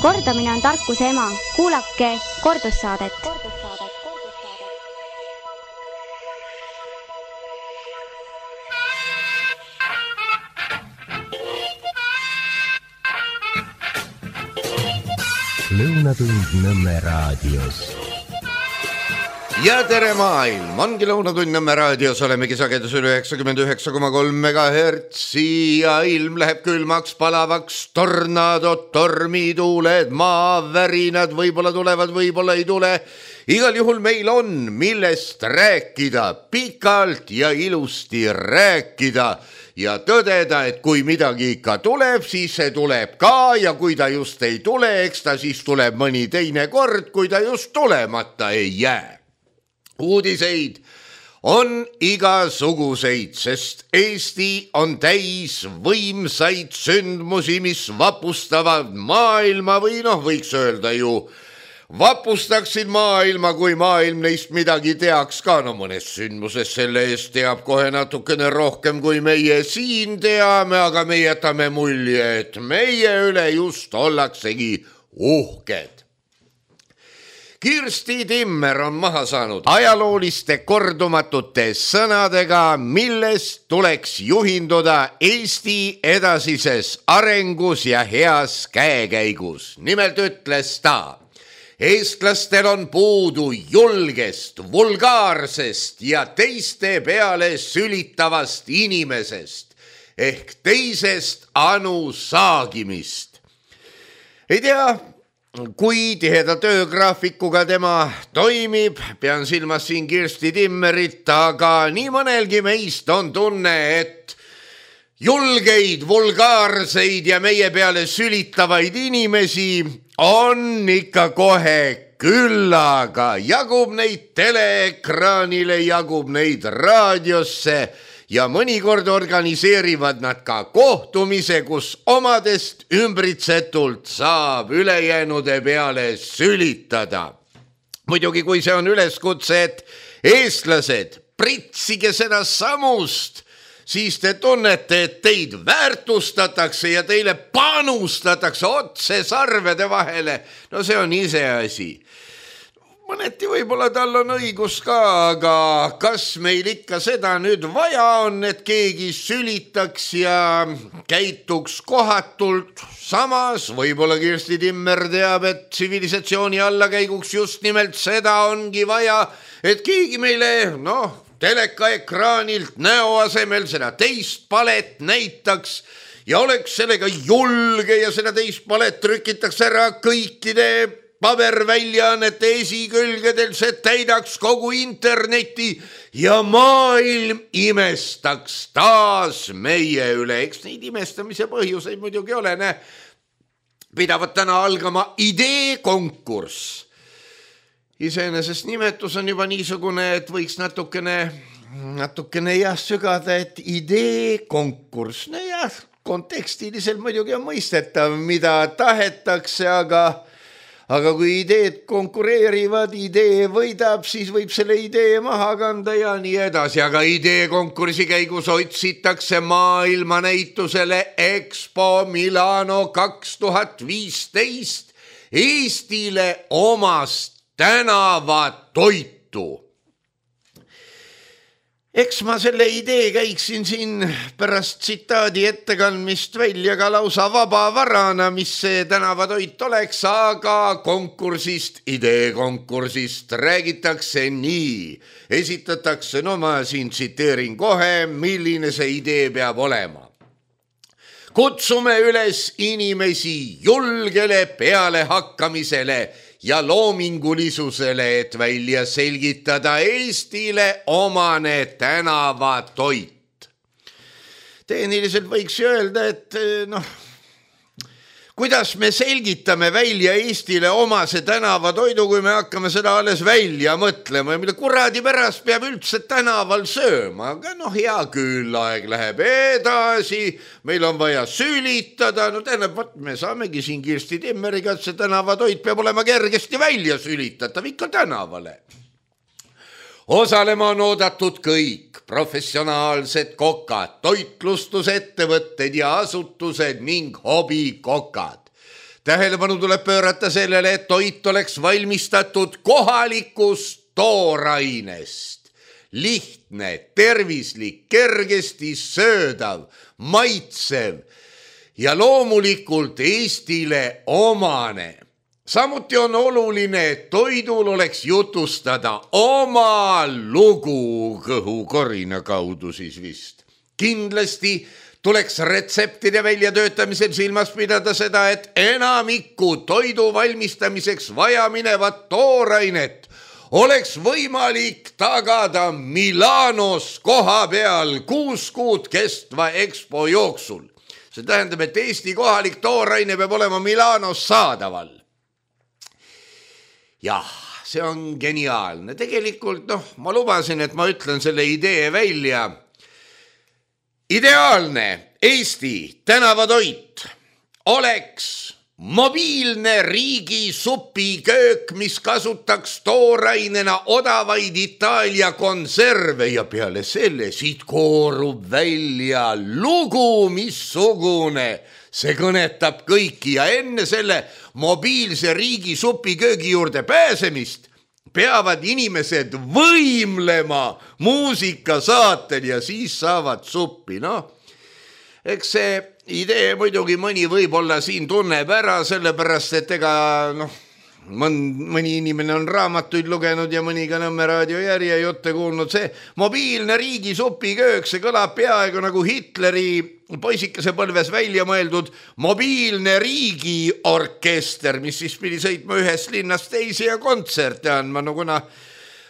Kordamine on tarkuse ema. Kuulake kordussaadet. Lõunatund Nõmme raadios. Ja tere maailm, ongi Lõunatund Nõmme raadios, olemegi sagedusel 99,3 MHz ja ilm läheb külmaks, palavaks, tornaadod, tormituuled, maavärinad võib-olla tulevad, võib-olla ei tule. Igal juhul meil on millest rääkida, pikalt ja ilusti rääkida ja tõdeda, et kui midagi ikka tuleb, siis see tuleb ka ja kui ta just ei tule, eks ta siis tuleb mõni teine kord, kui ta just tulemata ei jää. Uudiseid on igasuguseid, sest Eesti on täis võimsaid sündmusi, mis vapustavad maailma või võiks öelda ju, vapustaksid maailma, kui maailm neist midagi teaks ka. Mõnes sündmuses selle eest teab kohe natukene rohkem, kui meie siin teame, aga me jätame mulje, et meie üle just ollaksegi uhked. Kirsti Timmer on maha saanud ajalooliste kordumatute sõnadega, millest tuleks juhinduda Eesti edasises arengus ja heas käekäigus. Nimelt ütles ta, eestlastel on puudu julgest, vulgaarsest ja teiste peale sülitavast inimesest ehk teisest anu saagimist. Ei tea, kui tiheda töögraafikuga tema toimib, pean silmas siin Kirsti Timmerit, aga nii mõnelgi meist on tunne, et julgeid, vulgaarseid ja meie peale sülitavaid inimesi on ikka kohe küllaga. Jagub neid teleekraanile, jagub neid raadiosse ja mõnikord organiseerivad nad ka kohtumise, kus omadest ümbritsetult saab ülejäänude peale sülitada. Muidugi, kui see on üleskutse, et eestlased, pritsige seda samust, siis te tunnete, et teid väärtustatakse ja teile panustatakse otse sarvede vahele. No see on iseasi. Mõneti võib-olla tal on õigus ka, aga kas meil ikka seda nüüd vaja on, et keegi sülitaks ja käituks kohatult? Samas võib-olla Kirsti Timmer teab, et tsivilisatsiooni allakäiguks just nimelt seda ongi vaja, et keegi meile, telekaekraanilt näo asemel seda teist palet näitaks ja oleks sellega julge ja seda teist palet trükitaks ära kõikide paberväljaannete esikülgedel, see täidaks kogu interneti ja maailm imestaks taas meie üle. Eks neid imestamise põhjuseid muidugi ole. Pidavat täna algama ideekonkurss. Iseenesest nimetus on juba niisugune, et võiks natukene sügada, et ideekonkurss. Kontekstiliselt muidugi on mõistetav, mida tahetakse, aga kui ideed konkureerivad, idee võidab, siis võib selle idee maha kanda ja nii edasi. Aga ideekonkursi käigus otsitakse maailmanäitusele Expo Milano 2015 Eestile omast tänavatoitu. Eks ma selle idee käiksin siin pärast tsitaadi ettekandmist välja ka lausa vabavarana, mis see tänavatoit oleks, aga ideekonkursist räägitakse nii. Esitatakse, ma siin tsiteerin kohe, milline see idee peab olema. Kutsume üles inimesi julgele pealehakkamisele ja loomingulisusele, et välja selgitada Eestile omane tänavatoit. Tehniliselt võiks öelda, et kuidas me selgitame välja Eestile omase tänavatoidu, kui me hakkame seda alles välja mõtlema ja mille kuradi pärast peab üldse tänaval sööma. Aga hea küll, aeg läheb edasi, meil on vaja sülitada. Me saamegi siin Kirsti Timmeriga, et see tänavatoit peab olema kergesti välja sülitatav ikka tänavale. Osalema on oodatud kõik professionaalsed kokad, toitlustusettevõtted ja asutused ning hobikokad. tähelepanu tuleb pöörata sellele, et toit oleks valmistatud kohalikust toorainest. Lihtne, tervislik, kergesti söödav, maitsev ja loomulikult Eestile omane. Samuti on oluline, et toidul oleks jutustada oma lugu kõhukorina kaudu siis vist. Kindlasti tuleks retseptide väljatöötamisel silmas pidada seda, et enamikku toidu valmistamiseks vaja minevat toorainet oleks võimalik tagada Milanos koha peal 6 kuud kestva EXPO jooksul. See tähendab, et Eesti kohalik tooraine peab olema Milanos saadaval. Jah, see on geniaalne. Tegelikult, ma lubasin, et ma ütlen selle idee välja. Ideaalne Eesti tänavatoit oleks mobiilne riigi supiköök, mis kasutaks toorainena odavaid Itaalia konserve ja peale selle siit koorub välja lugu missugune. See kõnetab kõiki ja enne selle mobiilse riigi supiköögi juurde pääsemist peavad inimesed võimlema muusikasaatel ja siis saavad suppi. Eks see idee muidugi mõni võib-olla siin tunneb ära, sellepärast et ega mõni inimene on raamatuid lugenud ja mõni ka Nõmme raadio järjejutte kuulnud. See mobiilne riigi supiköök, see kõlab peaaegu nagu Hitleri poisikese põlves välja mõeldud mobiilne riigiorkester, mis siis pidi sõitma ühest linnast teisi ja kontserte andma. Kuna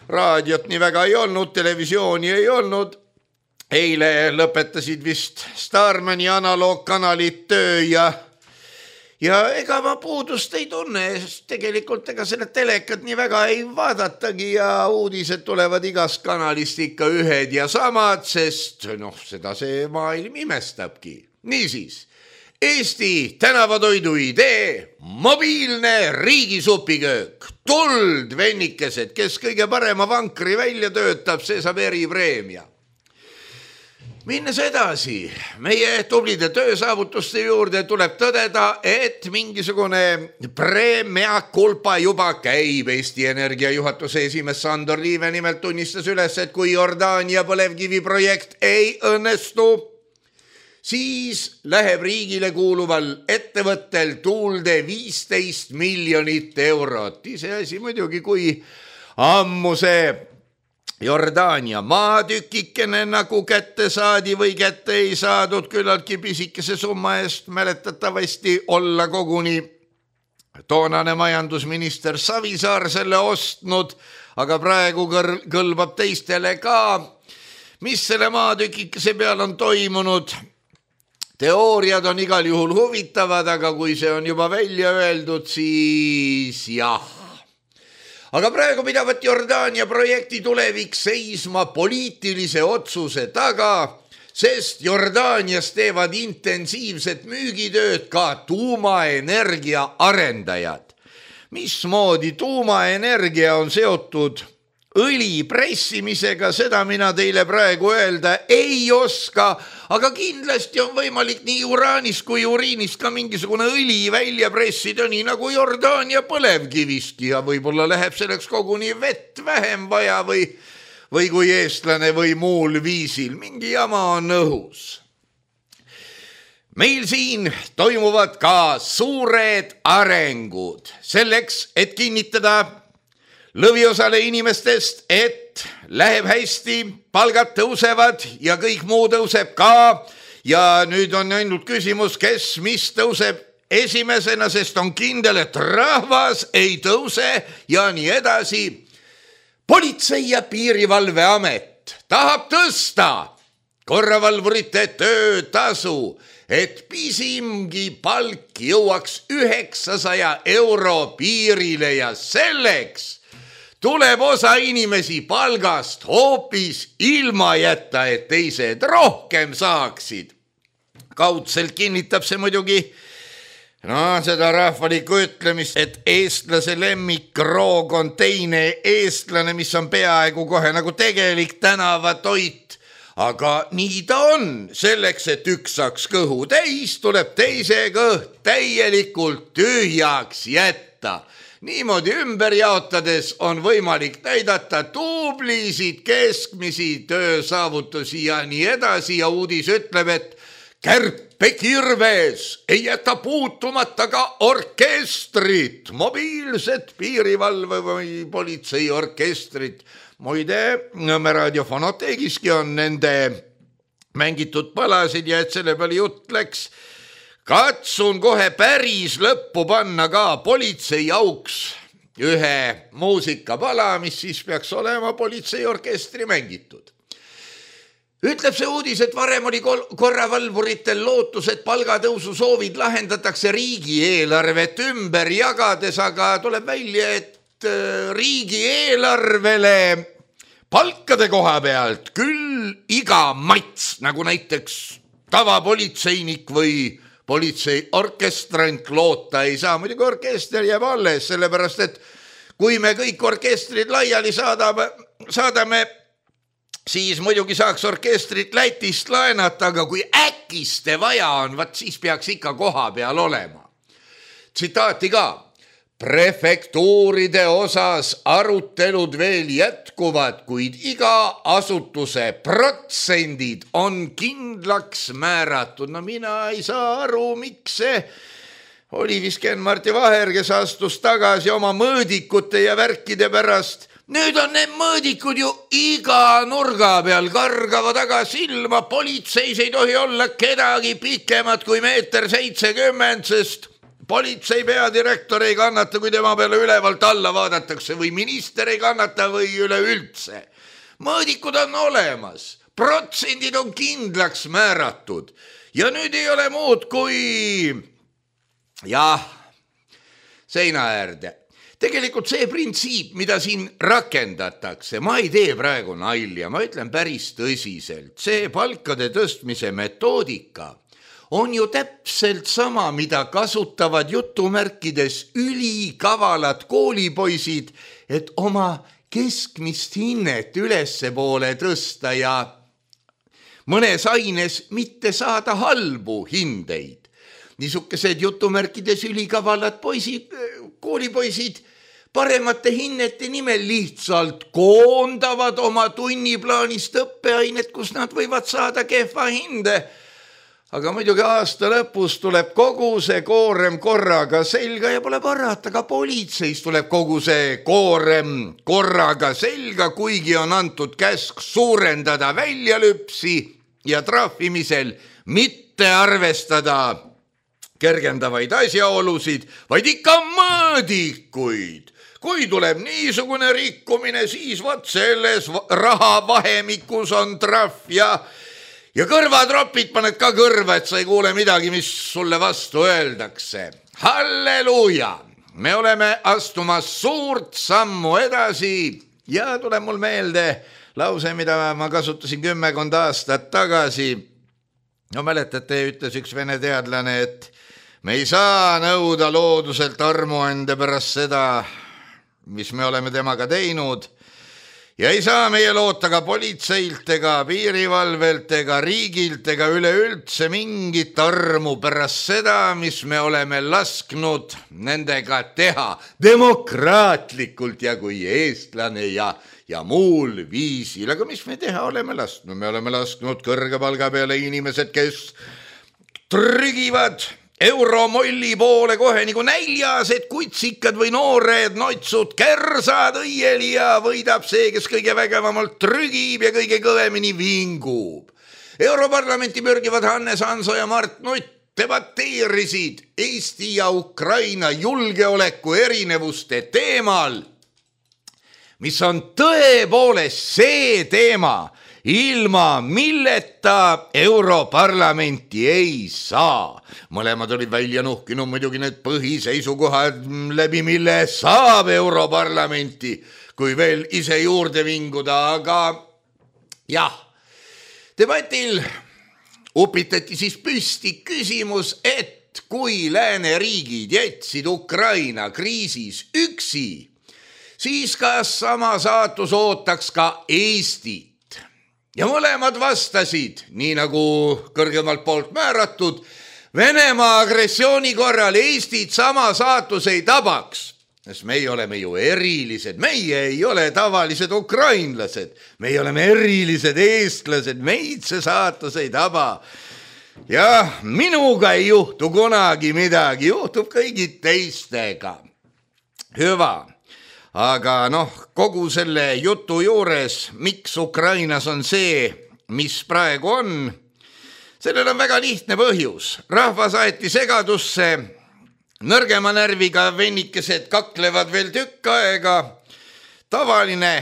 raadiot nii väga ei olnud, televisiooni ei olnud, eile lõpetasid vist Starmani analoogkanalid töö ja ega ma puudust ei tunne, sest tegelikult ega selle telekat nii väga ei vaadatagi ja uudised tulevad igast kanalist ikka ühed ja samad, sest seda see maailm imestabki. Niisiis, Eesti tänavatoidu idee, mobiilne riigisupiköök, tuld vennikesed, kes kõige parema vankri välja töötab, see saab eripreemia. Minnes edasi, meie tublide töösaavutuste juurde tuleb tõdeda, et mingisugune preemia kulpa juba käib. Eesti Energia juhatuse esimees Sandor Liive nimelt tunnistas üles, et kui Jordaania põlevkivi projekt ei õnnestu, siis läheb riigile kuuluval ettevõttel tuulde 15 miljonit eurot. See asi muidugi, kui ammu see Jordaania maatükikene nagu kätte saadi või kätte ei saadud, küllaltki pisikese summa eest mäletatavasti olla koguni toonane majandusminister Savisaar selle ostnud, aga praegu kõlbab teistele ka. Mis selle maatükikese peal on toimunud? Teooriad on igal juhul huvitavad, aga kui see on juba välja öeldud, siis jah. Aga praegu pidavat Jordaania projekti tulevik seisma poliitilise otsuse taga, sest Jordaanias teevad intensiivset müügitööd ka tuumaenergia arendajad. Mismoodi tuumaenergia on seotud õli pressimisega, seda mina teile praegu öelda ei oska, aga kindlasti on võimalik nii uraanist kui uriinist ka mingisugune õli välja pressida, nii nagu Jordaania põlevkivistki ja võib-olla läheb selleks koguni vett vähem vaja või kui eestlane või muul viisil. Mingi jama on õhus. Meil siin toimuvad ka suured arengud selleks, et kinnitada lõviosale inimestest, et läheb hästi, palgad tõusevad ja kõik muu tõuseb ka. Ja nüüd on ainult küsimus, kes mis tõuseb esimesena, sest on kindel, et rahvas ei tõuse ja nii edasi. Politsei- ja piirivalveamet tahab tõsta korravalvurite töötasu, et pisimgi palk jõuaks 900 euro piirile ja selleks tuleb osa inimesi palgast hoopis ilma jätta, et teised rohkem saaksid. Kaudselt kinnitab see muidugi seda rahvalikku ütlemist, et eestlase lemmikroog on teine eestlane, mis on peaaegu kohe nagu tegelik tänavatoit. aga nii ta on, selleks, et üks saaks kõhu täis, tuleb teise kõht täielikult tühjaks jätta. Niimoodi ümber jaotades on võimalik näidata tublisid, keskmisi töösaavutusi ja nii edasi ja uudis ütleb, et kärpekirves ei jäta puutumata ka orkestrit, mobiilset piirivalve või politseiorkestrit. Muide, Nõmme raadio fonoteegiski on nende mängitud palasid ja et selle peale jutt läks, katsun kohe päris lõppu panna ka politseiauks ühe muusikapala, mis siis peaks olema politseiorkestri mängitud. Ütleb see uudis, et varem oli korravalvuritel lootus, et palgatõusu soovid lahendatakse riigieelarvet ümber jagades, aga tuleb välja, et riigieelarvele palkade koha pealt küll iga mats, nagu näiteks tavapolitseinik või politseiorkestrant loota ei saa. Muidugi orkester jääb alles, sellepärast et kui me kõik orkestrid laiali saadame, siis muidugi saaks orkestrit Lätist laenata, aga kui äkiste vaja on, siis peaks ikka koha peal olema. Tsitaati ka. Prefektuuride osas arutelud veel jätkuvad, kuid iga asutuse protsendid on kindlaks määratud. No mina ei saa aru, miks see oli vist Ken-Marti Vaher, kes astus tagasi oma mõõdikute ja värkide pärast. Nüüd on need mõõdikud ju iga nurga peal, kargavad aga silma, politseis ei tohi olla kedagi pikemat kui 1,70 m, sest politsei peadirektor ei kannata, kui tema peale ülevalt alla vaadatakse või minister ei kannata või üleüldse. Mõõdikud on olemas, protsendid on kindlaks määratud ja nüüd ei ole muud kui seina äärde. Tegelikult see printsiip, mida siin rakendatakse, ma ei tee praegu nalja, ma ütlen päris tõsiselt. See palkade tõstmise metoodika on ju täpselt sama, mida kasutavad jutumärkides ülikavalat koolipoisid, et oma keskmist hinnet ülespoole tõsta ja mõnes aines mitte saada halbu hindeid. Niisugused jutumärkides ülikavalad koolipoisid paremate hinnete nimel lihtsalt koondavad oma tunniplaanist õppeainet, kus nad võivad saada kehva hinde. Aga muidugi aasta lõpus tuleb kogu see koorem korraga selga ja pole parata, ka politseis tuleb kogu see koorem korraga selga, kuigi on antud käsk suurendada väljalüpsi ja trahvimisel mitte arvestada kergendavaid asjaolusid, vaid ikka mõõdikuid. Kui tuleb niisugune rikkumine, siis vaat selles rahavahemikus on trahv ja kõrvatropid paned ka kõrva, et sa ei kuule midagi, mis sulle vastu öeldakse. Halleluuja! Me oleme astumas suurt sammu edasi ja tuleb mul meelde lause, mida ma kasutasin 10 aastat tagasi. No mäletate, ütles üks vene teadlane, et me ei saa nõuda looduselt armuande pärast seda, mis me oleme temaga teinud ja ei saa meie loota ka politseilt ega piirivalvelt ega riigilt ega üleüldse mingit armu pärast seda, mis me oleme lasknud nendega teha demokraatlikult ja kui eestlane ja muul viisil. Aga mis me teha oleme lasknud? Me oleme lasknud kõrge palga peale inimesed, kes trügivad euromolli poole kohe nagu näljased kutsikad või noored notsud, kersad õieli ja võidab see, kes kõige vägevamalt trügib ja kõige kõvemini vingub. Europarlamenti pürgivad Hannes Hanso ja Mart Nutt debateerisid Eesti ja Ukraina julgeoleku erinevuste teemal, mis on tõepoolest see teema, ilma milleta Europarlamenti ei saa. Mõlemad olid välja nuhkinud muidugi need põhiseisukohad, läbi mille saab Europarlamenti, kui veel ise juurde vinguda, aga debatil upitati siis püsti küsimus, et kui lääneriigid jätsid Ukraina kriisis üksi, siis kas sama saatus ootaks ka Eestit. ja mõlemad vastasid, nii nagu kõrgemalt poolt määratud, Venemaa agressiooni korral Eestit sama saatus ei tabaks. Sest meie oleme ju erilised, meie ei ole tavalised ukrainlased, meie oleme erilised eestlased, meid see saatus ei taba. Jah, minuga ei juhtu kunagi midagi, juhtub kõigi teistega. Hüva, aga kogu selle jutu juures, miks Ukrainas on see, mis praegu on, sellel on väga lihtne põhjus. Rahvas aeti segadusse, nõrgema närviga vennikesed kaklevad veel tükk aega. Tavaline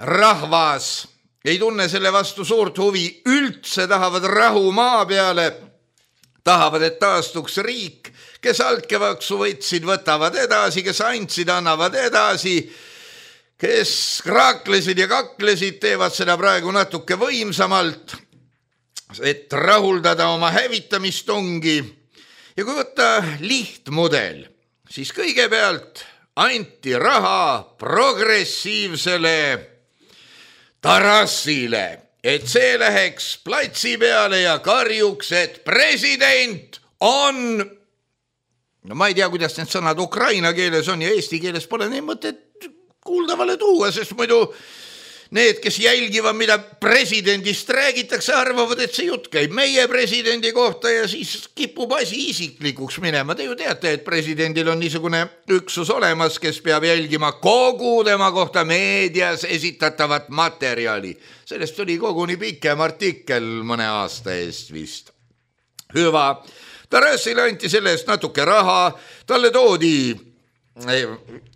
rahvas ei tunne selle vastu suurt huvi, üldse tahavad rahu maa peale, tahavad, et taastuks riik, kes altkäevaksu võtsid, võtavad edasi, kes andsid, annavad edasi, kes kraaklesid ja kaklesid, teevad seda praegu natuke võimsamalt, et rahuldada oma hävitamistungi. Ja kui võtta lihtmudel, siis kõigepealt anti raha progressiivsele Tarassile, et see läheks platsi peale ja karjuks, et president on... ma ei tea, kuidas need sõnad ukraina keeles on ja eesti keeles pole neid mõtet kuuldavale tuua, sest muidu need, kes jälgivad, mida presidendist räägitakse, arvavad, et see jutt käib meie presidendi kohta ja siis kipub asi isiklikuks minema. Te ju teate, et presidendil on niisugune üksus olemas, kes peab jälgima kogu tema kohta meedias esitatavat materjali. Sellest oli koguni pikem artikkel mõne aasta eest vist. Hüva, Tarassile anti selle eest natuke raha, talle toodi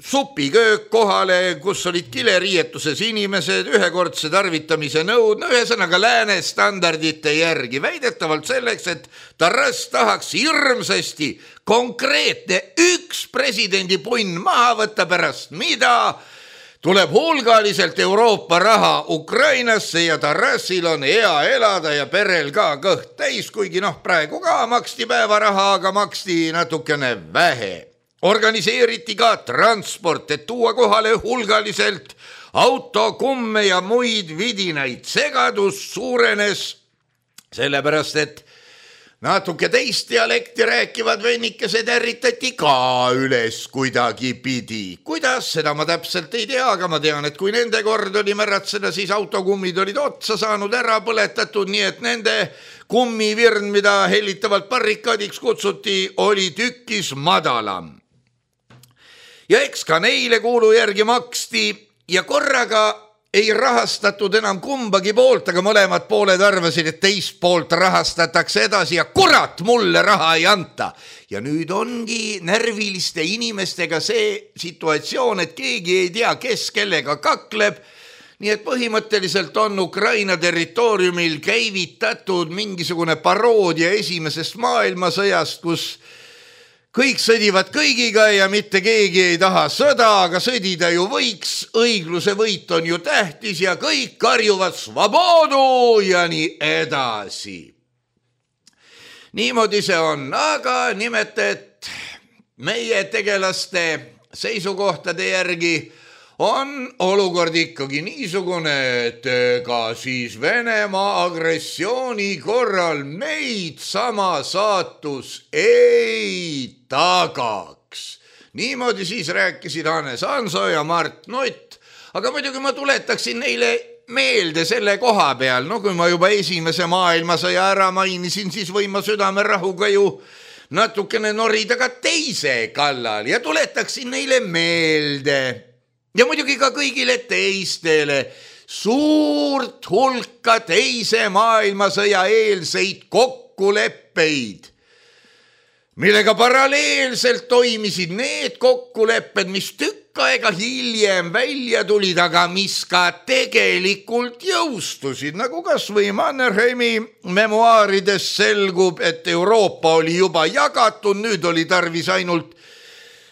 supiköök kohale, kus olid kileriietuses inimesed, ühekordse tarvitamise nõud, ühesõnaga lääne standardite järgi, väidetavalt selleks, et Tarass tahaks hirmsasti konkreetne üks presidendi punn maha võtta, pärast mida tuleb hulgaliselt Euroopa raha Ukrainasse ja Tarassil on hea elada ja perel ka kõht täis, kuigi praegu ka maksti päevaraha, aga maksti natukene vähe. Organiseeriti ka transport, et tuua kohale hulgaliselt autokumme ja muid vidinaid. Segadus suurenes sellepärast, et natuke teist dialekti rääkivad vennikesed ärritati ka üles kuidagi pidi. Kuidas, seda ma täpselt ei tea, aga ma tean, et kui nende kord oli märatseda, siis autokummid olid otsa saanud, ära põletatud, nii et nende kummivirn, mida hellitavalt barrikaadiks kutsuti, oli tükis madalam. Ja eks ka neile kuulu järgi maksti ja korraga ei rahastatud enam kumbagi poolt, aga mõlemad pooled arvasid, et teist poolt rahastatakse edasi ja kurat, mulle raha ei anta. Ja nüüd ongi närviliste inimestega see situatsioon, et keegi ei tea, kes kellega kakleb. Nii et põhimõtteliselt on Ukraina territooriumil käivitatud mingisugune paroodia esimesest maailmasõjast, kus kõik sõdivad kõigiga ja mitte keegi ei taha sõda, aga sõdida ju võiks, õigluse võit on ju tähtis ja kõik karjuvad svobodu ja nii edasi. Niimoodi see on, aga nimelt, et meie tegelaste seisukohtade järgi on olukord ikkagi niisugune, et ka siis Venemaa agressiooni korral meid sama saatus ei tagaks. Niimoodi siis rääkisid Hannes Hanso ja Mart Nutt, aga muidugi ma tuletaksin neile meelde selle koha peal, kui ma juba esimese maailmasõja ära mainisin, siis võin ma südamerahuga ju natukene norida ka teise kallal ja tuletaksin neile meelde. Ja muidugi ka kõigile teistele suurt hulka teise maailmasõja eelseid kokkuleppeid, millega paralleelselt toimisid need kokkulepped, mis tükk aega hiljem välja tulid, aga mis ka tegelikult jõustusid, nagu kas või Mannerheimi memuaarides selgub, et Euroopa oli juba jagatud, nüüd oli tarvis ainult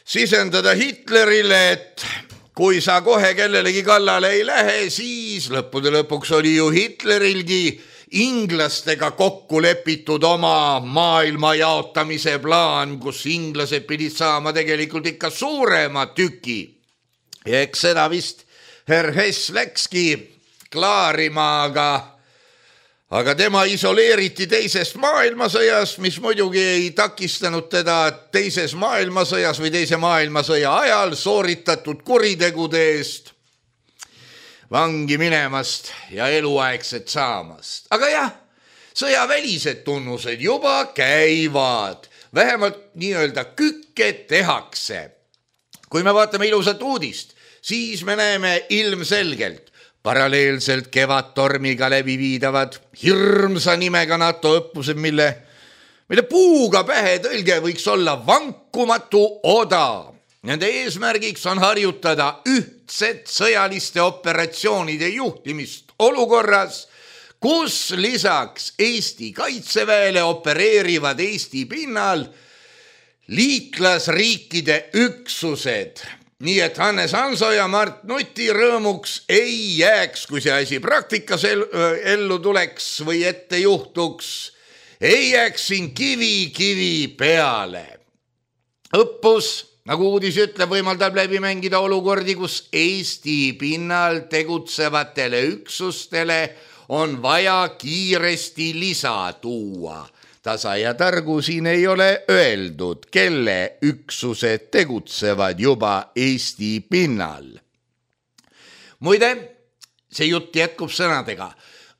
sisendada Hitlerile, et kui sa kohe kellelegi kallale ei lähe, siis lõppude lõpuks oli ju Hitlerilgi inglastega kokku lepitud oma maailma jaotamise plaan, kus inglased pidid saama tegelikult ikka suurema tüki. Ja eks seda vist Herr Hess läkski klaarima, aga Aga tema isoleeriti teisest maailmasõjast, mis muidugi ei takistanud teda teises maailmasõjas või teise maailmasõja ajal sooritatud kuritegude eest vangi minemast ja eluaegset saamast. Aga jah, sõjavälised tunnused juba käivad, vähemalt nii-öelda kükke tehakse. Kui me vaatame ilusat uudist, siis me näeme ilmselgelt paralleelselt kevadtormiga läbi viidavad hirmsa nimega NATO õppused, mille puuga pähe tõlge võiks olla vankumatu oda. Nende eesmärgiks on harjutada ühtset sõjaliste operatsioonide juhtimist olukorras, kus lisaks Eesti kaitseväele opereerivad Eesti pinnal liitlasriikide üksused. Nii et Hannes Hanso ja Mart Nuti rõõmuks ei jääks, kui see asi praktikas ellu tuleks või ette juhtuks, ei jääks siin kivi peale. Õppus, nagu uudis ütleb, võimaldab läbi mängida olukordi, kus Eesti pinnal tegutsevatele üksustele on vaja kiiresti lisa tuua. Tasa ja targu siin ei ole öeldud, kelle üksused tegutsevad juba Eesti pinnal. Muide, see jutt jätkub sõnadega.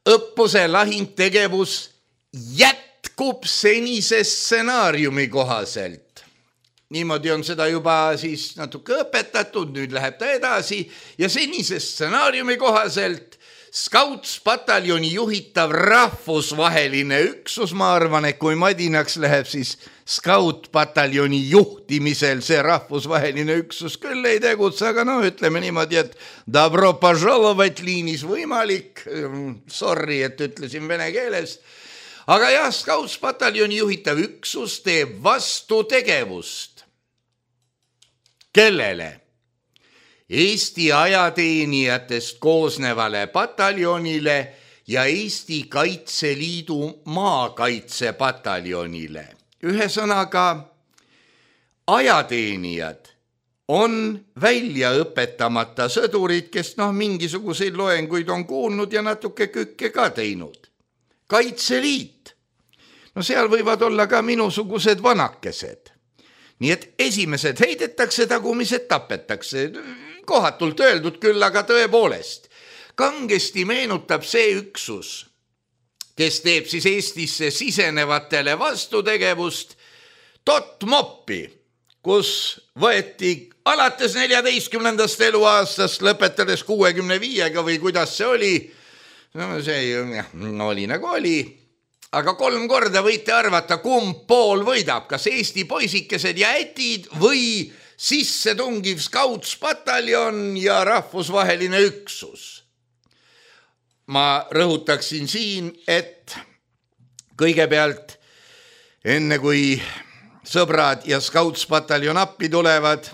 Õppuse lahingtegevus jätkub senise stsenaariumi kohaselt. Niimoodi on seda juba siis natuke õpetatud, nüüd läheb ta edasi ja senise stsenaariumi kohaselt Scouts-pataljoni juhitav rahvusvaheline üksus, ma arvan, et kui madinaks läheb, siis Scout-pataljoni juhtimisel see rahvusvaheline üksus küll ei tegutse, aga ütleme niimoodi, et dobro požalovat liinis võimalik, sorry, et ütlesin vene keeles, aga jah, Scouts-pataljoni juhitav üksus teeb vastutegevust. Kellele? Eesti ajateenijatest koosnevale pataljonile ja Eesti Kaitseliidu maakaitsepataljonile. Ühesõnaga, ajateenijad on välja õpetamata sõdurid, kes mingisuguseid loenguid on kuulnud ja natuke kükke ka teinud. Kaitseliit, seal võivad olla ka minusugused vanakesed. Nii et esimesed heidetakse, tagumised tapetakse. Kohatult öeldud küll, aga tõepoolest. Kangesti meenutab see üksus, kes teeb siis Eestisse sisenevatele vastutegevust, Totmopi, kus võeti alates 14. eluaastast lõpetades 65-ga või kuidas see oli, see oli nagu oli, aga 3 korda võite arvata, kumb pool võidab, kas Eesti poisikesed ja ätid või sisse tungiv Scouts-pataljon ja rahvusvaheline üksus. Ma rõhutaksin siin, et kõigepealt, enne kui sõbrad ja Scouts-pataljon appi tulevad,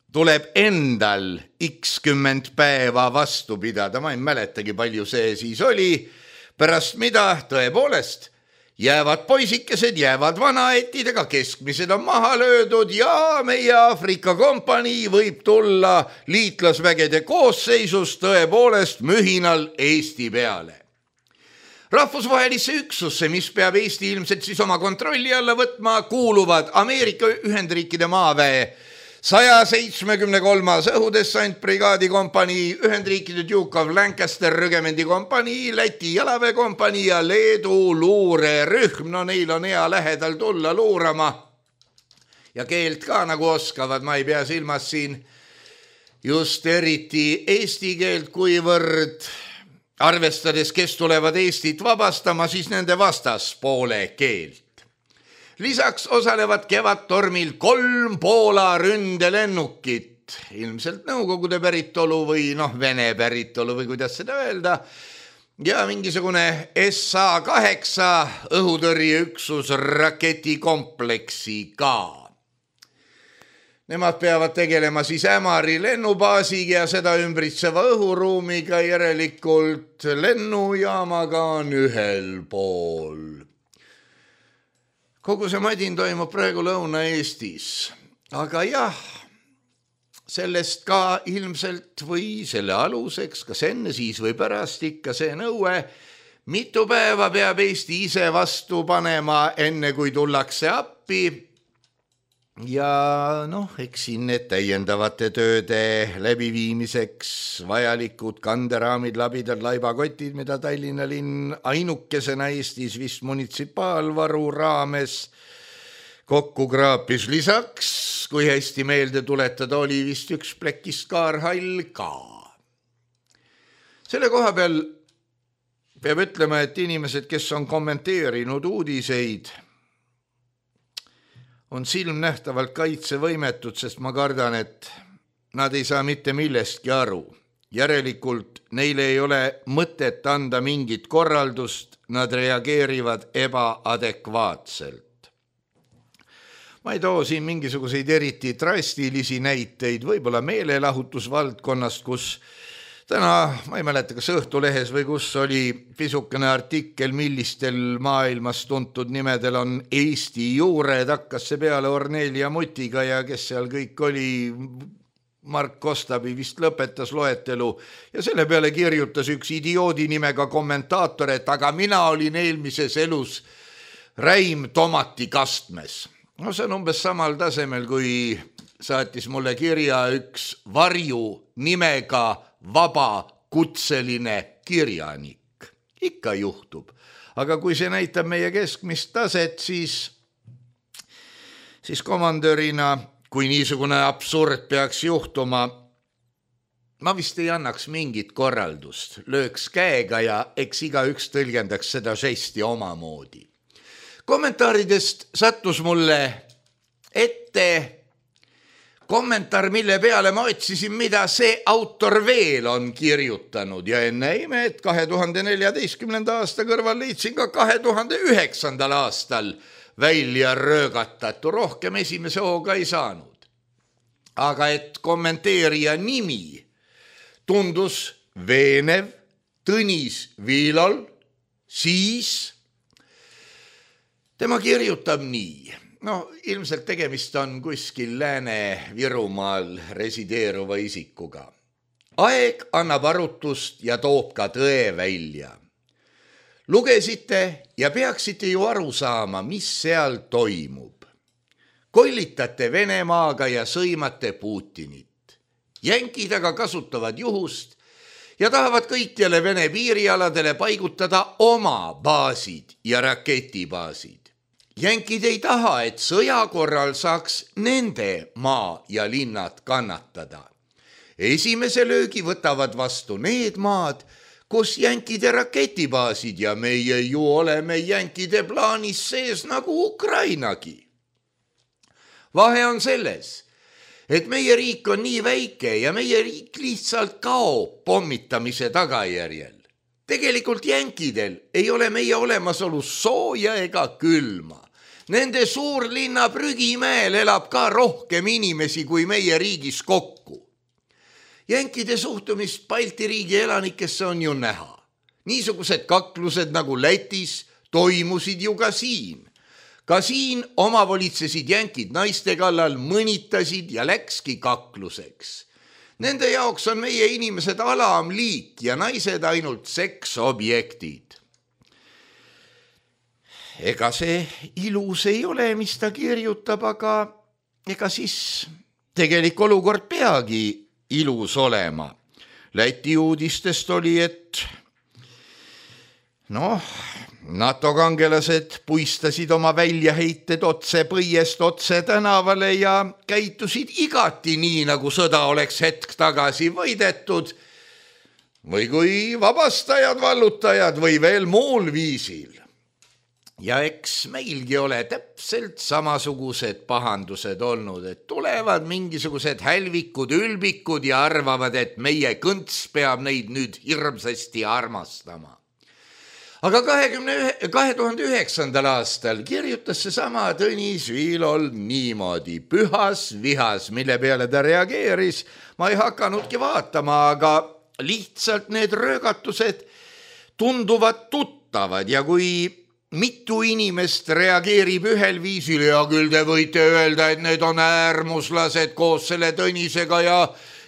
tuleb endal x10 päeva vastu pidada. Ma ei mäletagi, palju see siis oli, pärast mida tõepoolest jäävad poisikesed, jäävad vanaetidega, keskmised on maha löödud ja meie Aafrika kompanii võib tulla liitlasvägede koosseisus tõepoolest mühinal Eesti peale. Rahvusvahelisse üksusse, mis peab Eesti ilmselt siis oma kontrolli alla võtma, kuuluvad Ameerika Ühendriikide maaväe 173. õhudessantbrigaadi kompanii, Ühendriikide Duke of Lancaster rügemendi kompanii, Läti jalaväekompanii ja Leedu luurerühm. Neil on hea lähedal tulla luurama ja keelt ka nagu oskavad, ma ei pea silmas siin just eriti eesti keelt, kuivõrd arvestades, kes tulevad Eestit vabastama, siis nende vastaspoole keelt. Lisaks osalevad kevadtormil 3 Poola ründelennukit, ilmselt Nõukogude päritolu või Vene päritolu või kuidas seda öelda, ja mingisugune SA-8 õhutõrjeüksus raketikompleksiga. Nemad peavad tegelema siis Ämari lennubaasiga ja seda ümbritseva õhuruumiga, järelikult lennujaamaga on ühel pool. Kogu see madin toimub praegu Lõuna-Eestis, aga jah, sellest ka ilmselt või selle aluseks, kas enne, siis või pärast ikka see nõue, Mitu päeva peab Eesti ise vastu panema, enne kui tullakse appi. Ja eks siin need täiendavate tööde läbiviimiseks vajalikud kanderaamid, labidad, laibakotid, mida Tallinna linn ainukesena Eestis vist munitsipaalvaru raames kokku kraapis. Lisaks, kui hästi meelde tuletada, oli vist üks plekist kaarhall ka. Selle koha peal peab ütlema, et inimesed, kes on kommenteerinud uudiseid, on silmnähtavalt kaitsevõimetud, sest ma kardan, et nad ei saa mitte millestki aru. Järelikult neile ei ole mõtet anda mingit korraldust, nad reageerivad ebaadekvaatselt. Ma ei too siin mingisuguseid eriti drastilisi näiteid, võib-olla meelelahutusvaldkonnast, kus täna, ma ei mäleta, kas Õhtulehes või kus oli pisukene artikkel, millistel maailmas tuntud nimedel on Eesti juured, hakkas see peale Ornelia Mutiga ja kes seal kõik oli, Mark Kostabi vist lõpetas loetelu ja selle peale kirjutas üks idioodi nimega kommentaator, et aga mina olin eelmises elus räim tomati kastmes. No see on umbes samal tasemel, kui saatis mulle kirja üks varju nimega vaba kutseline kirjanik. Ikka juhtub. Aga kui see näitab meie keskmist taset, siis komandörina, kui niisugune absurd peaks juhtuma, ma vist ei annaks mingit korraldust. Lööks käega ja eks igaüks tõlgendaks seda žesti omamoodi. Kommentaaridest sattus mulle ette kommentaar, mille peale ma otsisin, mida see autor veel on kirjutanud ja enne ime, et 2014. aasta kõrval leidsin ka 2009. aastal välja röögatatu, rohkem esimese hooga ei saanud. Aga et kommenteerija nimi tundus veenev Tõnis Viilol, siis tema kirjutab nii. Ilmselt tegemist on kuskil Lääne-Virumaal resideeruva isikuga. Aeg annab arutust ja toob ka tõe välja. Lugesite ja peaksite ju aru saama, mis seal toimub. Kollitate Venemaaga ja sõimate Putinit. Jänkid aga kasutavad juhust ja tahavad kõikjale Vene piirialadele paigutada oma baasid ja raketibaasid. Jänkid ei taha, et sõja korral saaks nende maa ja linnad kannatada. Esimese löögi võtavad vastu need maad, kus jänkide raketibaasid ja meie ju oleme jänkide plaanis sees nagu Ukrainagi. Vahe on selles, et meie riik on nii väike ja meie riik lihtsalt kaob pommitamise tagajärjel. Tegelikult jänkidel ei ole meie olemasolus sooja ega külma. Nende suurlinna Prügimäel elab ka rohkem inimesi kui meie riigis kokku. Jänkide suhtumist Balti riigi elanikesse on ju näha. Niisugused kaklused nagu Lätis toimusid ju ka siin. Ka siin omavolitsesid jänkid naiste kallal, mõnitasid ja läkski kakluseks. Nende jaoks on meie inimesed alamliik ja naised ainult seksobjektid. Ega see ilus ei ole, mis ta kirjutab, aga ega siis tegelik olukord peagi ilus olema. Läti uudistest oli, et NATO kangelased puistasid oma väljaheited otse põiest otse tänavale ja käitusid igati nii, nagu sõda oleks hetk tagasi võidetud või kui vabastajad, vallutajad või veel muul viisil. Ja eks meilgi ole täpselt samasugused pahandused olnud, et tulevad mingisugused hälvikud, ülbikud ja arvavad, et meie kõnts peab neid nüüd hirmsasti armastama. Aga 2009. aastal kirjutas see sama Tõnis Viilol niimoodi, pühas vihas, mille peale ta reageeris. Ma ei hakanudki vaatama, aga lihtsalt need röögatused tunduvad tuttavad ja kui mitu inimest reageerib ühel viisil ja küll te võite öelda, et need on äärmuslased koos selle Tõnisega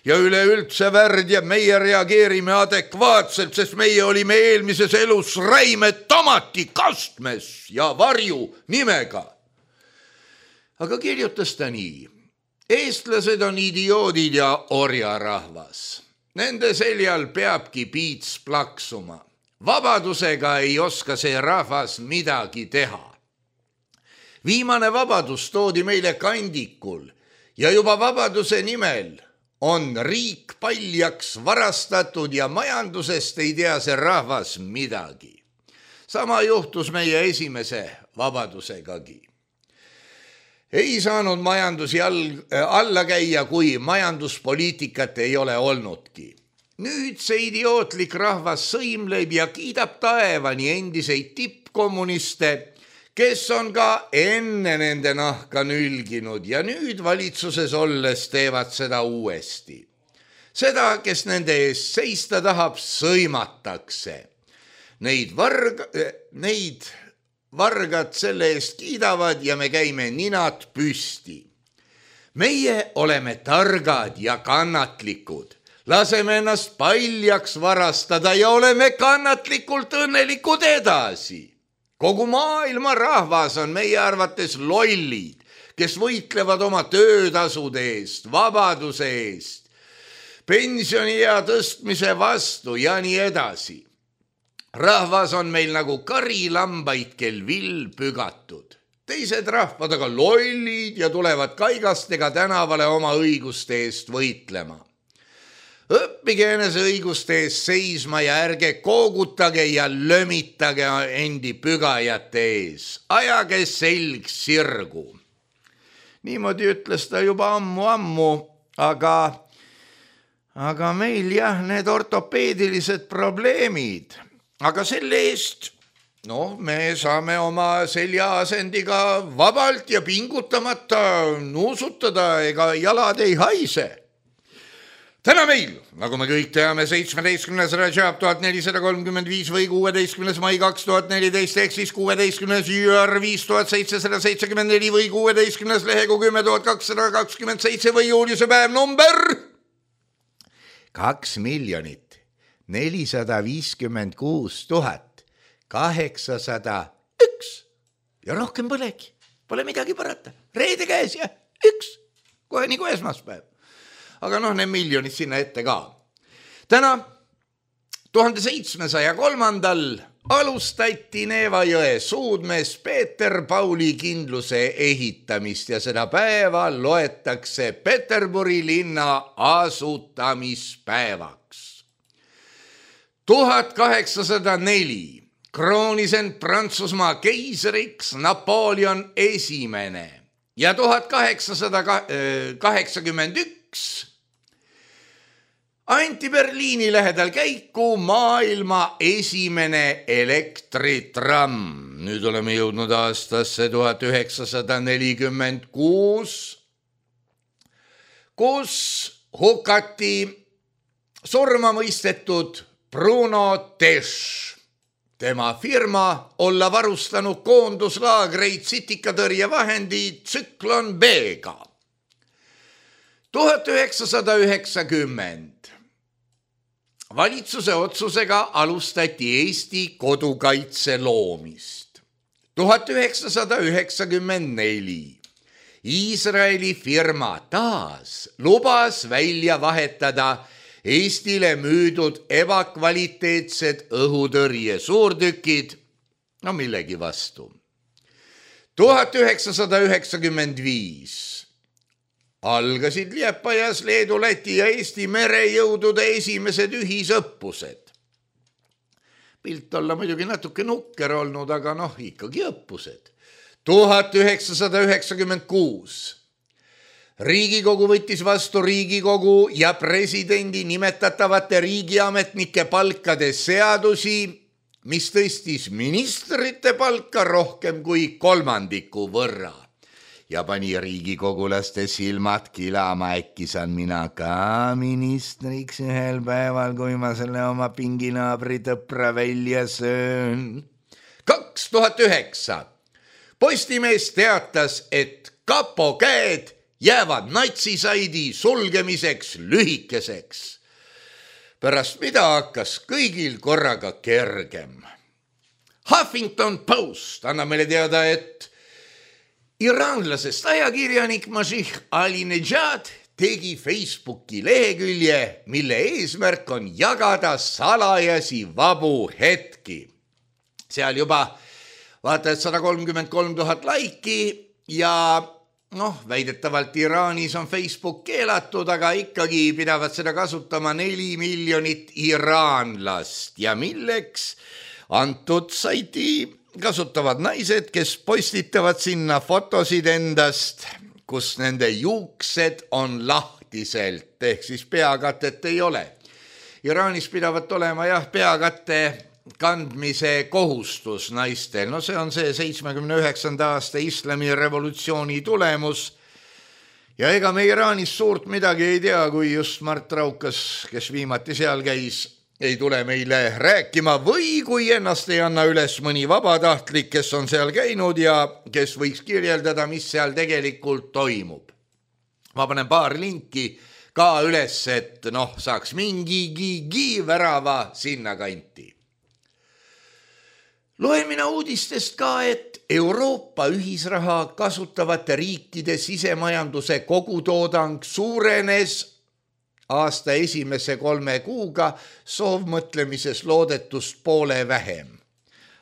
ja üleüldse värd ja meie reageerime adekvaatselt, sest meie olime eelmises elus räime tomati kastmes ja varju nimega. Aga kirjutas ta nii. Eestlased on idioodid ja orjarahvas. Nende seljal peabki piits plaksuma. Vabadusega ei oska see rahvas midagi teha. Viimane vabadus toodi meile kandikul ja juba vabaduse nimel on riik paljaks varastatud ja majandusest ei tea see rahvas midagi. Sama juhtus meie esimese vabadusegagi. Ei saanud majandusi alla käia, kui majanduspoliitikat ei ole olnudki. Nüüd see idiootlik rahvas sõimleb ja kiidab taevani endiseid tippkommuniste, kes on ka enne nende nahka nülginud ja nüüd valitsuses olles teevad seda uuesti. Seda, kes nende eest seista tahab, sõimatakse. Neid vargad selle eest kiidavad ja me käime ninad püsti. Meie oleme targad ja kannatlikud. Laseme ennast paljaks varastada ja oleme kannatlikult õnnelikud edasi. Kogu maailma rahvas on meie arvates lollid, kes võitlevad oma töötasude eest, vabaduse eest, pensioniea tõstmise vastu ja nii edasi. Rahvas on meil nagu karilambaid, kel vill pügatud. Teised rahvad aga lollid ja tulevad kaigastega tänavale oma õiguste eest võitlema. Õppige enese õiguste eest seisma ja ärge koogutage ja lömitage endi pügajate ees. Ajage selg sirgu. Niimoodi ütles ta juba ammu, aga meil jah, need ortopeedilised probleemid. Aga selle eest, me saame oma seljaasendiga vabalt ja pingutamata nuusutada, ega jalad ei haise. Täna meil, nagu me kõik teame, 17. Rajab 1435 või 16. mai 2014 ehk siis 16. jüär 5774 või 16. lehegu 10.227 või juuliuse päev number 2,056,801 ja rohkem polegi, pole midagi parata. Reede käes ja üks, kohe nagu esmaspäev. Aga need miljonid sinna ette ka. Täna 1703. alustati Neeva jõe suudmees Peeter Pauli kindluse ehitamist ja seda päeva loetakse Peterburi linna asutamispäevaks. 1804 kroonis end Prantsusmaa keisriks Napoleon esimene ja 1881 anti Berliini lähedal käiku maailma esimene elektritramm. Nüüd oleme jõudnud aastasse 1946, kus hukati surma mõistetud Bruno Tesch. Tema firma olla varustanud koonduslaagreid sitikatõrjevahendi Tsüklon B-ga. 1990 valitsuse otsusega alustati Eesti kodukaitse loomist. 1994 Iisraeli firma taas lubas välja vahetada Eestile müüdud ebakvaliteetsed õhutõrje suurtükid, millegi vastu. 1995 algasid Liepajas Leedu, Läti ja Eesti merejõudude esimesed ühisõppused. Pilt olla muidugi natuke nukker olnud, aga ikkagi õppused. 1996 Riigikogu võttis vastu Riigikogu ja presidendi nimetatavate riigiametnike palkade seadusi, mis tõstis ministrite palka rohkem kui 3% võrra. Ja pani riigikogulaste silmad kilama, äkki saan mina ka ministriks ühel päeval, kui ma selle oma pinginaabri tõpra välja söön. 2009 Postimees teatas, et kapo käed jäävad natsisaidi sulgemiseks lühikeseks. Pärast mida hakkas kõigil korraga kergem. Huffington Post annab meile teada, et iraanlasest ajakirjanik Masih Alinejad tegi Facebooki lehekülje, mille eesmärk on jagada salajasi vabu hetki. Seal juba vaata, et 133 000 laiki ja väidetavalt Iraanis on Facebook keelatud, aga ikkagi pidavad seda kasutama 4 miljonit iraanlast. Ja milleks? Antud saiti kasutavad naised, kes postitavad sinna fotosid endast, kus nende juuksed on lahtiselt, ehk siis peakatet ei ole. Iraanis pidavat olema peakatte kandmise kohustus naistel. See on see 79. aasta islami revolutsiooni tulemus. Ja ega me Iraanis suurt midagi ei tea, kui just Mart Raukas, kes viimati seal käis, ei tule meile rääkima või kui ennast ei anna üles mõni vabatahtlik, kes on seal käinud ja kes võiks kirjeldada, mis seal tegelikult toimub. Ma panen paar linki ka üles, et saaks mingigi värava sinna kanti. Loen mina uudistest ka, et Euroopa ühisraha kasutavate riikide sisemajanduse kogutoodang suurenes aasta esimese 3 kuuga soovmõtlemises loodetust poole vähem.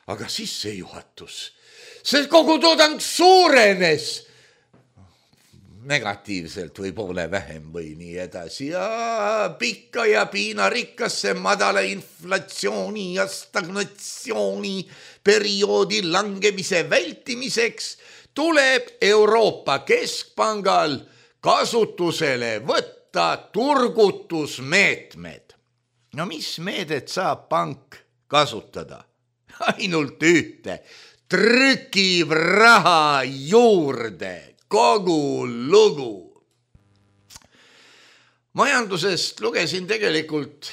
Aga sissejuhatus, see kogutoodang suurenes negatiivselt või poole vähem või nii edasi ja pikka ja piinarikkasse madala inflatsiooni ja stagnatsiooni perioodi langemise vältimiseks tuleb Euroopa Keskpangal kasutusele võtta turgutusmeetmed. Mis meedet saab pank kasutada? Ainult ühte, trükib raha juurde. Kogu lugu. Majandusest lugesin tegelikult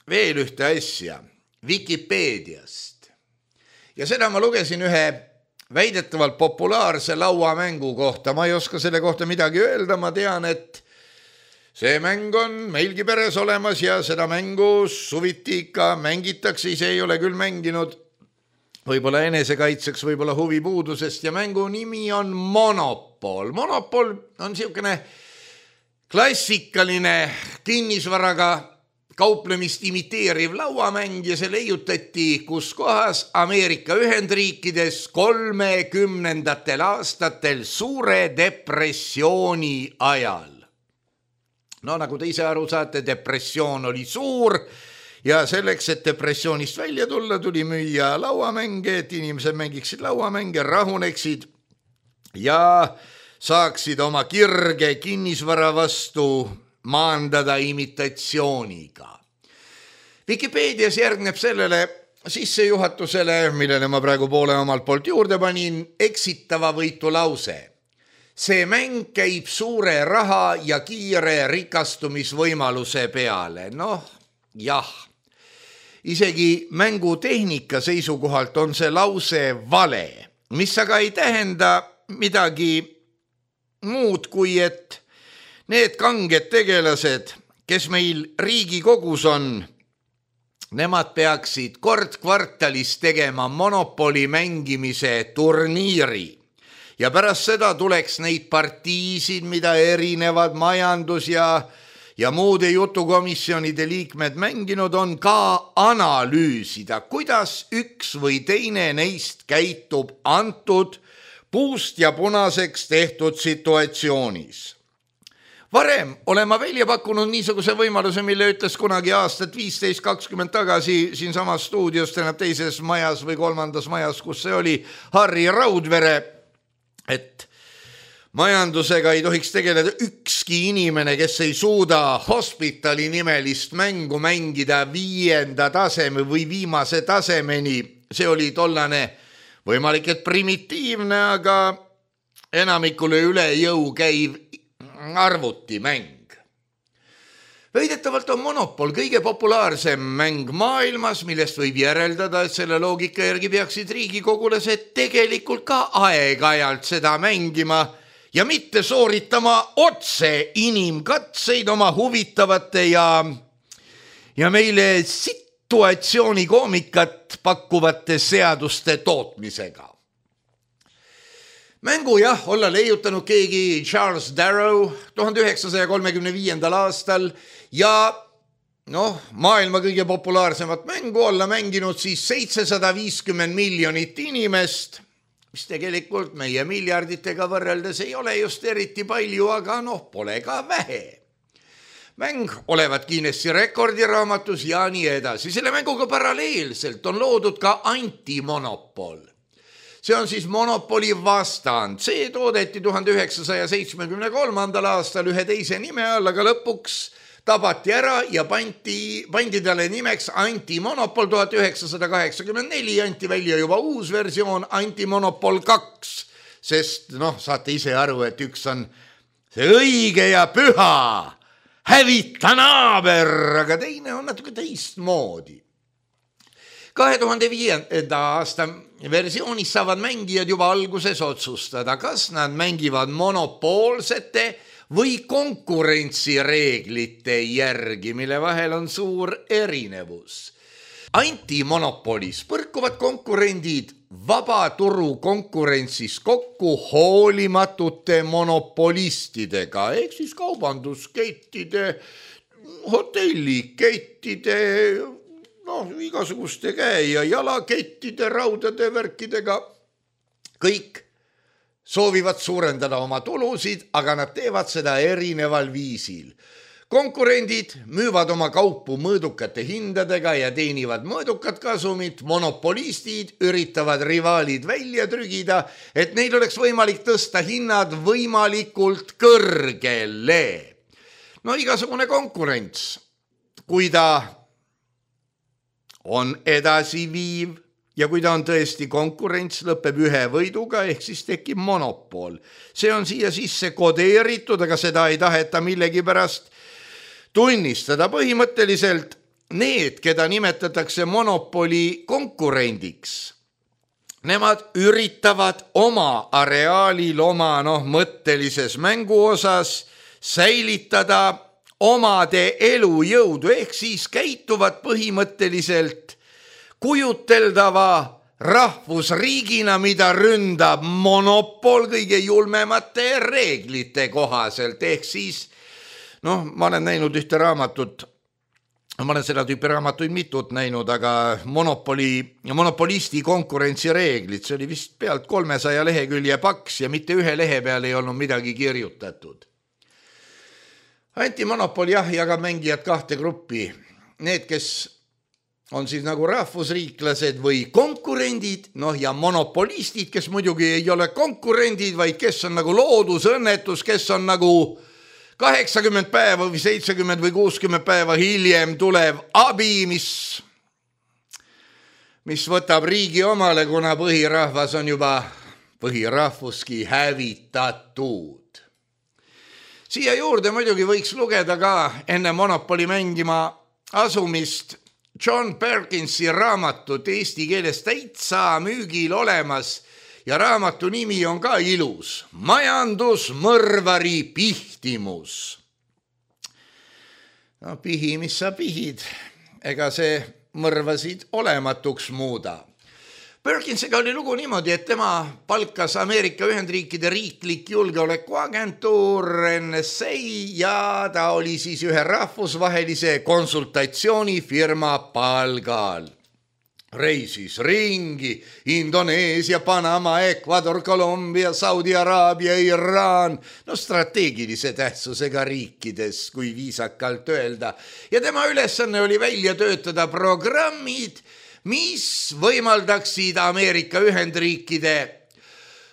veel ühte asja Vikipeediast. Ja seda ma lugesin ühe väidetavalt populaarse lauamängu kohta. Ma ei oska selle kohta midagi öelda, ma tean, et see mäng on meilgi peres olemas ja seda mängu suviti ikka mängitakse, ise ei ole küll mänginud. Võib-olla enesekaitseks, võib-olla huvipuudusest ja mängu nimi on Monopol. Monopol on siukene klassikaline kinnisvaraga kauplemist imiteeriv lauamäng ja see leiutati kus kohas Ameerika Ühendriikides 30. aastatel suure depressiooni ajal. Nagu te ise aru saate, depressioon oli suur. Ja selleks, et depressioonist välja tulla, tuli müüa lauamänge, et inimesed mängiksid lauamänge, rahuneksid ja saaksid oma kirge kinnisvara vastu maandada imitatsiooniga. Vikipeedias järgneb sellele sissejuhatusele, millele ma praegu poole omalt poolt juurde panin, eksitava võitu lause. See mäng käib suure raha ja kiire rikastumisvõimaluse peale. Jah. Isegi mängutehnika seisukohalt on see lause vale, mis aga ei tähenda midagi muud kui, et need kanged tegelased, kes meil Riigikogus on, nemad peaksid kord kvartalis tegema Monopoli mängimise turniiri. Ja pärast seda tuleks neid partiisid, mida erinevad majandus ja muude jutukomisjonide liikmed mänginud on, ka analüüsida, kuidas üks või teine neist käitub antud puust ja punaseks tehtud situatsioonis. Varem olen ma välja pakkunud niisuguse võimaluse, mille ütles kunagi aastat 15-20 tagasi siin samas stuudios, täna teises majas või 3. majas, kus see oli, Harri Raudvere, et majandusega ei tohiks tegeleda ükski inimene, kes ei suuda Hospitali nimelist mängu mängida 5. taseme või viimase tasemeni. See oli tollane võimalik, et primitiivne, aga enamikule üle jõu käiv arvutimäng. Väidetavalt on Monopol kõige populaarsem mäng maailmas, millest võib järeldada, et selle loogika järgi peaksid riigikogulased tegelikult ka aeg-ajalt seda mängima ja mitte sooritama otse inimkatseid oma huvitavate ja meile situatsioonikoomikat pakkuvate seaduste tootmisega. Mängu olla leiutanud keegi Charles Darrow 1935. aastal ja maailma kõige populaarsemat mängu olla mänginud siis 750 miljonit inimest, mis tegelikult meie miljarditega võrreldes ei ole just eriti palju, aga pole ka vähe. Mäng olevat Guinessi rekordiraamatus ja nii edasi. Selle mänguga paralleelselt on loodud ka antimonopol. See on siis monopoli vastand. See toodeti 1973. aastal ühe teise nime all, aga lõpuks tabati ära ja pandi talle nimeks antimonopol 1984, anti välja juba uus versioon antimonopol 2, sest saate ise aru, et üks on see õige ja püha, hävita naaber, aga teine on natuke teistmoodi. 2005. aasta versioonis saavad mängijad juba alguses otsustada, kas nad mängivad monopoolsete või konkurentsireeglite järgi, mille vahel on suur erinevus. Antimonopolis põrkuvad konkurendid vabaturu konkurentsis kokku hoolimatute monopolistidega, ehk siis kaubanduskettide, hotellikettide, igasuguste käe- ja jalakettide, raudade värkidega. Kõik soovivad suurendada oma tulusid, aga nad teevad seda erineval viisil. Konkurendid müüvad oma kaupu mõõdukate hindadega ja teenivad mõõdukat kasumit, monopolistid üritavad rivaalid välja trügida, et neil oleks võimalik tõsta hinnad võimalikult kõrgele. Igasugune konkurents, kui ta on edasiviiv ja kui ta on tõesti konkurents, lõpeb ühe võiduga, ehk siis tekib monopol. See on siia sisse kodeeritud, aga seda ei taheta millegipärast tunnistada. Põhimõtteliselt need, keda nimetatakse monopoli konkurendiks, nemad üritavad oma areaalil, oma mõttelises mänguosas säilitada omade elujõudu, ehk siis käituvad põhimõtteliselt kujuteldava rahvusriigina, mida ründab monopol kõige julmemate reeglite kohaselt, ehk siis ma olen näinud ühte raamatut, ma olen seda tüüpi raamatuid mitut näinud, aga monopolisti konkurentsireeglid, see oli vist pealt 300 lehekülje paks ja mitte ühe lehe peal ei olnud midagi kirjutatud. Antimonopol jagab mängijad kahte gruppi. Need, kes on siis nagu rahvusriiklased või konkurendid, ja monopolistid, kes muidugi ei ole konkurendid, vaid kes on nagu loodusõnnetus, kes on nagu 80 päeva või 70 või 60 päeva hiljem tulev abi, mis võtab riigi omale, kuna põhirahvas on juba põhirahvuski hävitatud. Siia juurde muidugi võiks lugeda ka enne monopoli mängima asumist John Perkinsi raamatut, eesti keeles täitsa müügil olemas ja raamatu nimi on ka ilus. Majandusmõrvari pihtimus. Pihi, mis sa pihid, ega see mõrvasid olematuks muuda. Perkinsiga oli lugu niimoodi, et tema palkas Ameerika Ühendriikide riiklik julgeolekuagentuur NSA ja ta oli siis ühe rahvusvahelise konsultatsioonifirma palgal. Reisis ringi Indoneesia, Panama, Ecuador, Kolumbia, Saudi Araabia, Iraan, strateegilise tähtsusega riikides, kui viisakalt öelda. Ja tema ülesanne oli välja töötada programmid, mis võimaldaksid Ameerika Ühendriikide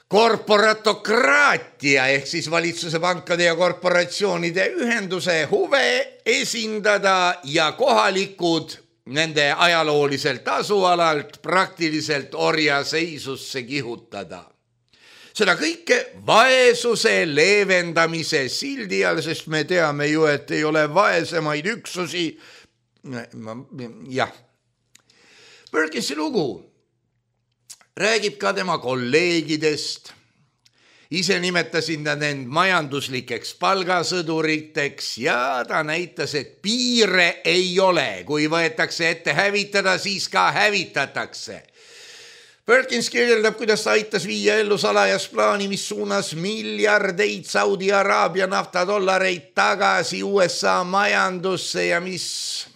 korporatokraatia ehk siis valitsuse, pankade ja korporatsioonide ühenduse huve esindada ja kohalikud nende ajalooliselt asualalt praktiliselt orjaseisusse kihutada. Seda kõike vaesuse leevendamise sildi all, sest me teame ju, et ei ole vaesemaid üksusi. Jah. Perkinsi lugu räägib ka tema kolleegidest Ise nimetasin ta end majanduslikeks palgasõduriteks ja ta näitas, et piire ei ole. Kui võetakse ette hävitada, siis ka hävitatakse. Perkins kirjeldab, kuidas ta aitas viia ellu salajas plaani, mis suunas miljardeid Saudi Araabia naftadollareid tagasi USA majandusse ja mis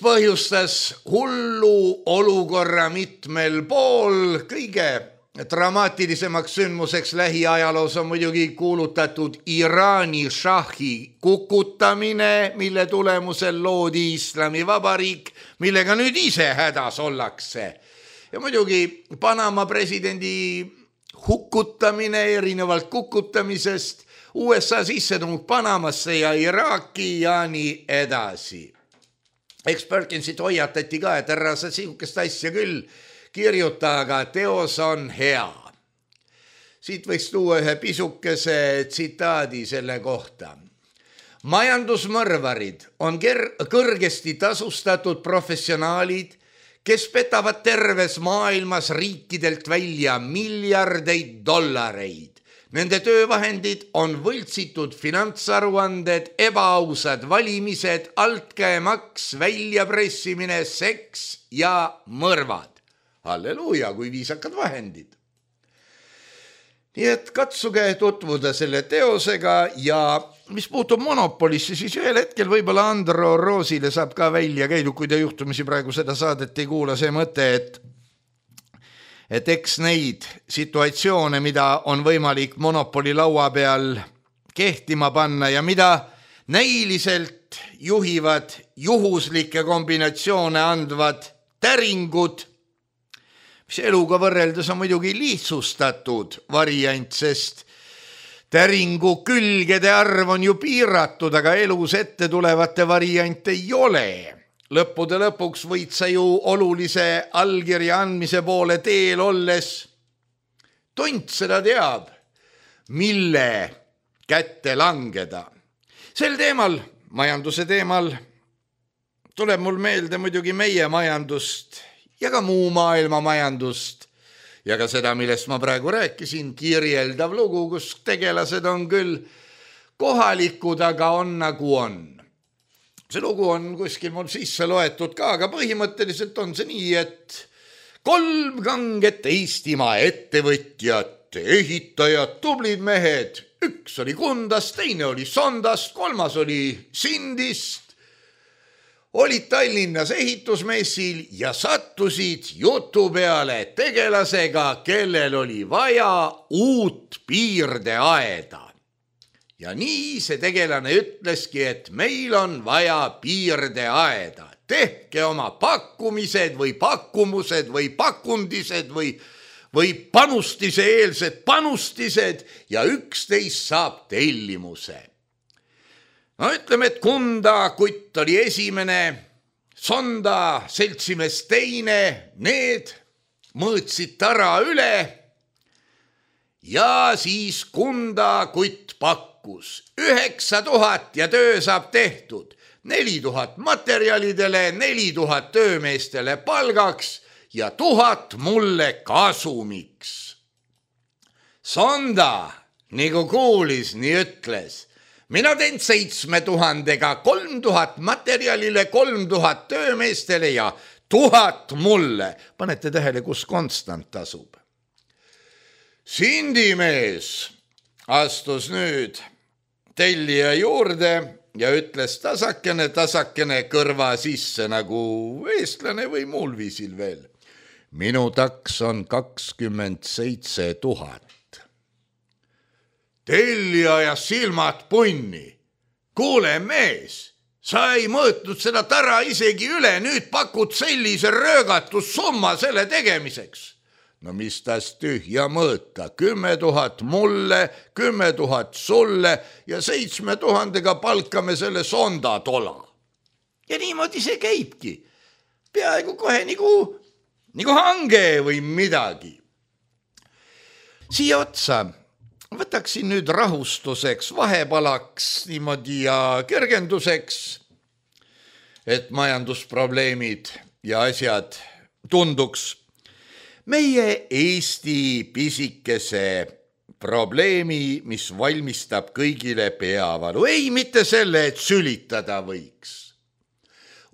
põhjustas hullu olukorra mitmel pool. Kõige dramaatilisemaks sündmuseks lähiajaloos on muidugi kuulutatud Iraani šahi kukutamine, mille tulemusel loodi Islamivabariik, millega nüüd ise hädas ollakse. Ja muidugi Panama presidendi hukutamine erinevalt kukutamisest, USA sissetung Panamasse ja Iraaki ja nii edasi. Eks Perkinsit hoiatati ka, et ära sa sihukest asja küll kirjuta, aga teos on hea. Siit võiks tuua ühe pisukese tsitaadi selle kohta. Majandusmõrvarid on kõrgesti tasustatud professionaalid, kes petavad terves maailmas riikidelt välja miljardeid dollareid. Nende töövahendid on võltsitud finantsaruanded, ebaausad valimised, altkäemaks, väljapressimine, seks ja mõrvad. Halleluuja, kui viisakad vahendid. Nii et katsuge tutvuda selle teosega ja mis puutub Monopolisse, siis ühel hetkel võib-olla Andro Roosile saab ka välja käidud, kui te juhtumisi praegu seda saadet ei kuula, see mõte, et eks neid situatsioone, mida on võimalik Monopoli laua peal kehtima panna ja mida näiliselt juhivad juhuslikke kombinatsioone andvad täringud, mis eluga võrreldes on muidugi lihtsustatud variant, sest täringu külgede arv on ju piiratud, aga elus ette tulevate variante ei ole. Lõppude lõpuks võid sa ju olulise allkirja andmise poole teel olles, tont seda teab, mille kätte langeda. Sel teemal, majanduse teemal, tuleb mul meelde muidugi meie majandust ja ka muu maailma majandust ja ka seda, millest ma praegu rääkisin, kirjeldav lugu, kus tegelased on küll kohalikud, aga on nagu on. See lugu on kuskil mul sisse loetud ka, aga põhimõtteliselt on see nii, et 3 kanget Eestimaa ettevõtjat, ehitajad, tublid mehed, üks oli Kundast, teine oli Sondast, 3 oli Sindist, olid Tallinnas ehitusmessil ja sattusid jutu peale tegelasega, kellel oli vaja uut piirdeaeda. Ja nii see tegelane ütleski, et meil on vaja piirdeaeda. Tehke oma pakkumised või pakkumused või pakundised või panustise eelsed panustised ja 11 saab tellimuse. No ütleme, et Kunda kutt oli esimene, Sonda seltsimees teine, need mõõtsid tara üle ja siis Kunda kutt pakkus 9000 ja töö saab tehtud, 4000 materjalidele, 4000 töömeestele palgaks ja 1000 mulle kasumiks. Sonda, nagu kuulis, nii ütles, mina teen 7000-ga 3000 materjalile, 3000 töömeestele ja 1000 mulle. Panete tähele, kus konstant tasub. Sindimees astus nüüd tellija juurde ja ütles tasakene kõrva sisse nagu eestlane või muul viisil veel. Minu taks on 27 000. Tellija ja silmad punni. Kuule mees, sa ei mõõtnud seda tara isegi üle, nüüd pakud sellise röögatussumma selle tegemiseks. No mis tas tühja mõõta, 10 000 mulle, 10 000 sulle ja 7000-ga palkame selle Sonda tola. Ja niimoodi see käibki. Peaaegu kohe nagu hange või midagi. Siia otsa võtaksin nüüd rahustuseks, vahepalaks niimoodi ja kergenduseks, et majandusprobleemid ja asjad tunduks meie Eesti pisikese probleemi, mis valmistab kõigile peavalu. Ei, mitte selle, et sülitada võiks.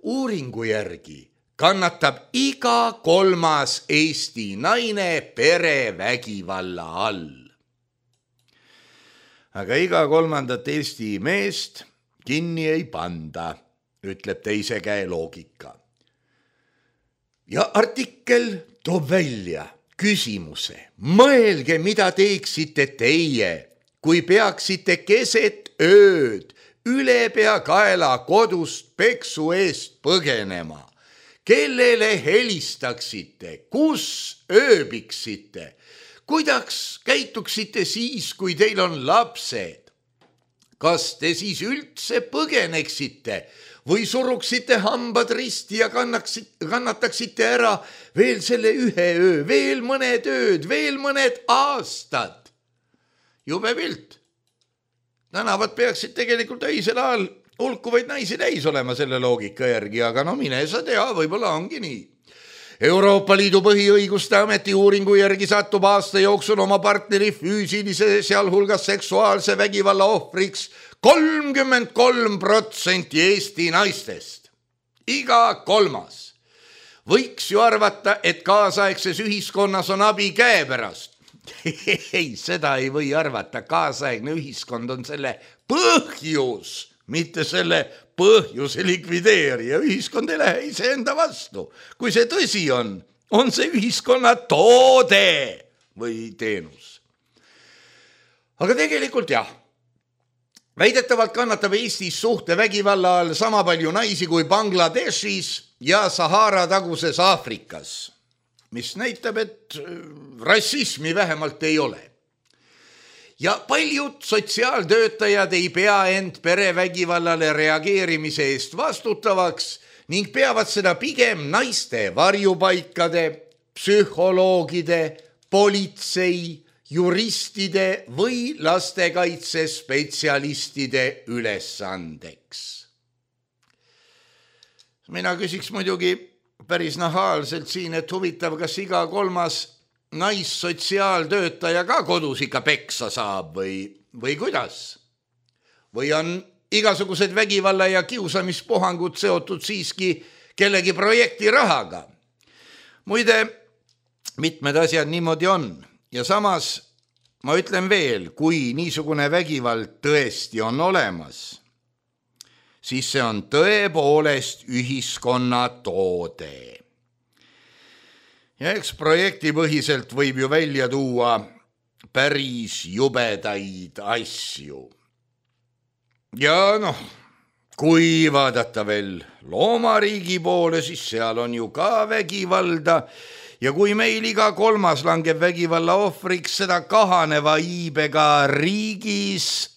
Uuringu järgi kannatab iga 3. Eesti naine perevägivalla all. Aga iga 3. Eesti meest kinni ei panda, ütleb teise käe loogika. Ja artikkel toob välja küsimuse. Mõelge, mida teeksite teie, kui peaksite keset ööd üle pea kaela kodust peksu eest põgenema. Kellele helistaksite, kus ööbiksite, kuidas käituksite siis, kui teil on lapsed? Kas te siis üldse põgeneksite või suruksite hambad risti ja kannataksite ära veel selle ühe öö, veel mõned ööd, veel mõned aastad? Jube pilt. Tänavad peaksid tegelikult öisel ajal hulkuvaid naisi täis olema selle loogika järgi, aga no mine sa tea, võib-olla ongi nii. Euroopa Liidu põhiõiguste ameti uuringu järgi satub aasta jooksul oma partneri füüsilise, sealhulgas seksuaalse vägivalla ohvriks 33% Eesti naistest. Iga 3. Võiks ju arvata, et kaasaegses ühiskonnas on abi käepärast. Ei, seda ei või arvata. Kaasaegne ühiskond on selle põhjus, mitte selle põhjuse likvideerija. Ühiskond ei lähe iseenda vastu. Kui see tõsi on see ühiskonna toode või teenus. Aga tegelikult jah, väidetavalt kannatab Eestis suhtevägivalla all sama palju naisi kui Bangladeshis ja Sahara taguses Aafrikas, mis näitab, et rassismi vähemalt ei ole. Ja paljud sotsiaaltöötajad ei pea end perevägivallale reageerimise eest vastutavaks ning peavad seda pigem naiste varjupaikade, psühholoogide, politsei, juristide või lastekaitsespetsialistide ülesandeks. Mina küsiks muidugi päris nahaalselt siin, et huvitav, kas iga 3. naissotsiaaltöötaja ka kodus ikka peksa saab või kuidas? Või on igasugused vägivalla ja kiusamispuhangud seotud siiski kellegi projekti rahaga? Muide, mitmed asjad niimoodi on. Ja samas ma ütlen veel, kui niisugune vägivald tõesti on olemas, siis see on tõepoolest ühiskonna toode. Ja eks projektipõhiselt võib ju välja tuua päris jubedaid asju. Ja kui vaadata veel loomariigi poole, siis seal on ju ka vägivalda. Ja kui meil iga 3. langeb vägivalla ohvriks, seda kahaneva iibega riigis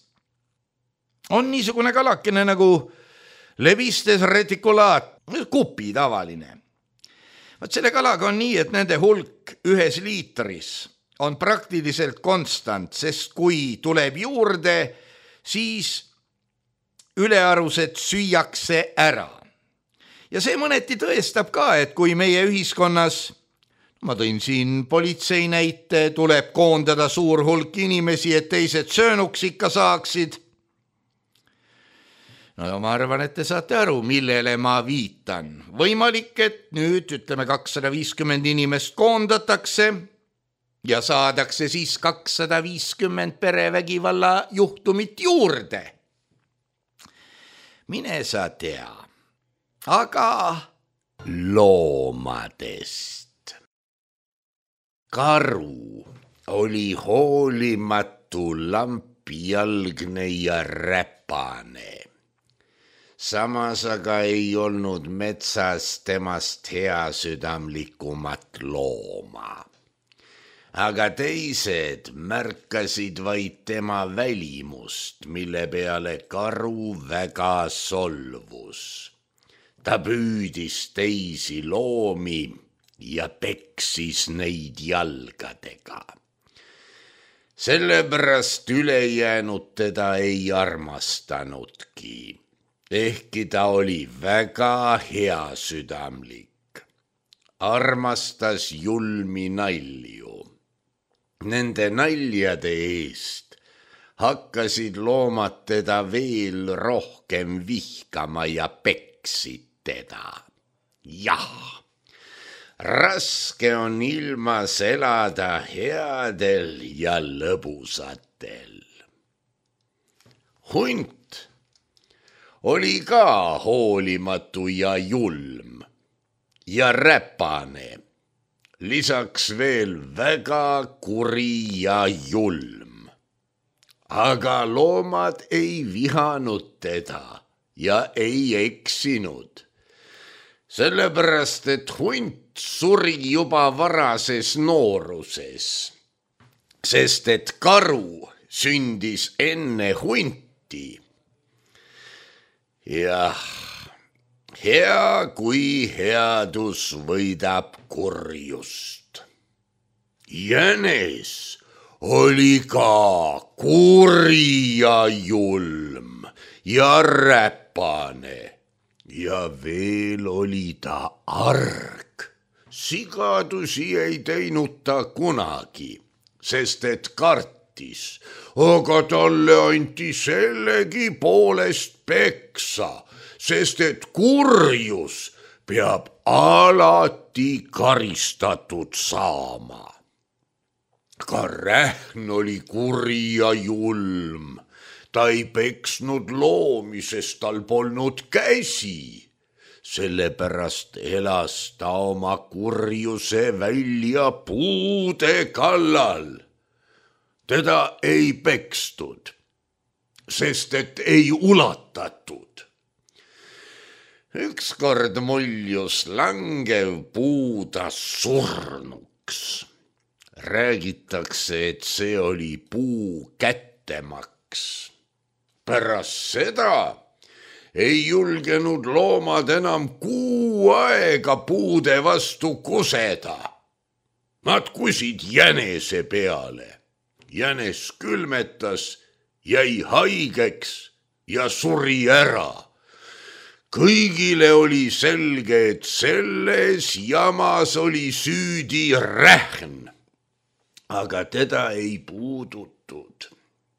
on niisugune kalakene nagu Levistes reticulaat, kupi tavaline. Vaat selle kalaga on nii, et nende hulk 1 liitris on praktiliselt konstant, sest kui tuleb juurde, siis ülearused süüakse ära. Ja see mõneti tõestab ka, et kui meie ühiskonnas, ma tõin siin politsei näite, tuleb koondada suur hulk inimesi, et teised söönuks ikka saaksid. No ma arvan, et te saate aru, millele ma viitan. Võimalik, et nüüd 250 inimest koondatakse ja saadakse siis 250 perevägivalla juhtumit juurde. Mine sa tea, aga loomadest. Karu oli hoolimatu, lampijalgne ja räpane. Samas aga ei olnud metsas temast heasüdamlikumat looma. Aga teised märkasid vaid tema välimust, mille peale karu väga solvus. Ta püüdis teisi loomi ja peksis neid jalgadega. Sellepärast ülejäänud teda ei armastanudki. Ehkki ta oli väga heasüdamlik. armastas julmi nalju. Nende naljade eest hakkasid loomad teda veel rohkem vihkama ja peksid teda. Jah, raske on ilmas elada headel ja lõbusatel. Hunt oli ka hoolimatu ja julm ja räpane, lisaks veel väga kuri ja julm. Aga loomad ei vihanud teda ja ei eksinud, sellepärast et hunt suri juba varases nooruses, sest et karu sündis enne hunti. Jah, hea kui headus võidab kurjust. Jänes oli ka kuri ja julm ja räpane ja veel oli ta arg. Sigadusi ei teinud ta kunagi, sest et kartis, aga talle anti sellegi poolest peksa, sest et kurjus peab alati karistatud saama. Ka rähn oli kuri ja julm. Ta ei peksnud loomi, sest tal polnud käsi. Sellepärast elas ta oma kurjuse välja puude kallal. Teda ei pekstud, sest et ei ulatatud. Ükskord muljus langev puu ta surnuks. Räägitakse, et see oli puu kättemaks. Pärast seda ei julgenud loomad enam kuu aega puude vastu kuseda. Nad kusid jänese peale. Jänes külmetas, jäi haigeks ja suri ära. Kõigile oli selge, et selles jamas oli süüdi rähn, aga teda ei puudutud,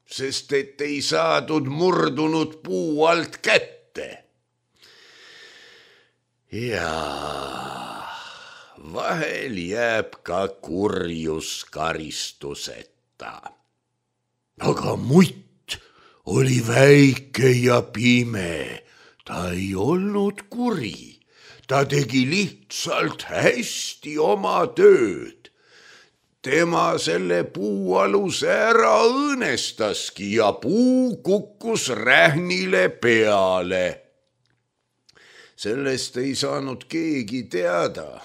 sest et ei saadud murdunud puu alt kätte. Ja vahel jääb ka kurjus karistuseta. Aga mutt oli väike ja pime, ta ei olnud kuri, ta tegi lihtsalt hästi oma tööd. Tema selle puualuse ära õõnestaski ja puu kukkus rähnile peale. Sellest ei saanud keegi teada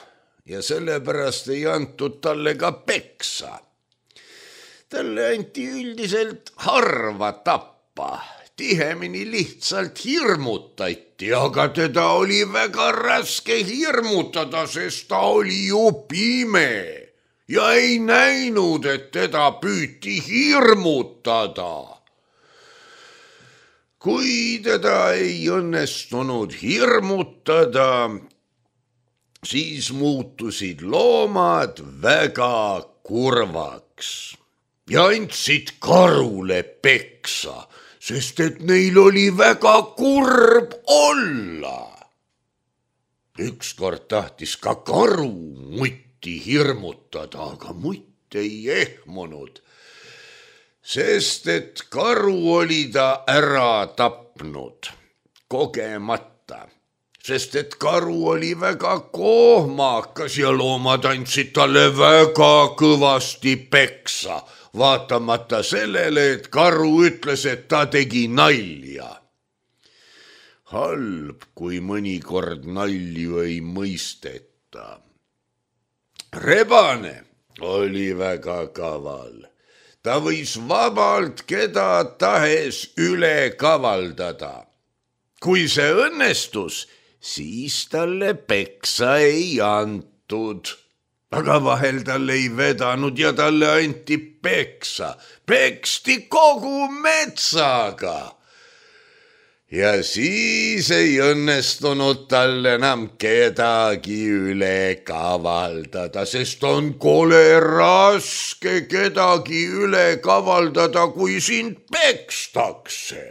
ja sellepärast ei antud talle ka peksa. Talle anti üldiselt harva tappa, tihemini lihtsalt hirmutati, aga teda oli väga raske hirmutada, sest ta oli ju pime ja ei näinud, et teda püüti hirmutada. Kui teda ei õnnestunud hirmutada, siis muutusid loomad väga kurvaks ja andsid karule peksa, sest et neil oli väga kurb olla. Ükskord tahtis ka karu mutti hirmutada, aga mutt ei ehmunud, sest et karu oli ta ära tapnud kogemata, sest et karu oli väga kohmakas ja loomad andsid talle väga kõvasti peksa, vaatamata sellele, et karu ütles, et ta tegi nalja. Halb, kui mõnikord nalju ei mõisteta. Rebane oli väga kaval. Ta võis vabalt keda tahes üle kavaldada. Kui see õnnestus, siis talle peksa ei antud. Aga vahel talle ei vedanud ja talle anti peksa. Peksti kogu metsaga. ja siis ei õnnestunud tal enam kedagi üle kavaldada, sest on kole raske kedagi üle kavaldada, kui sind pekstakse.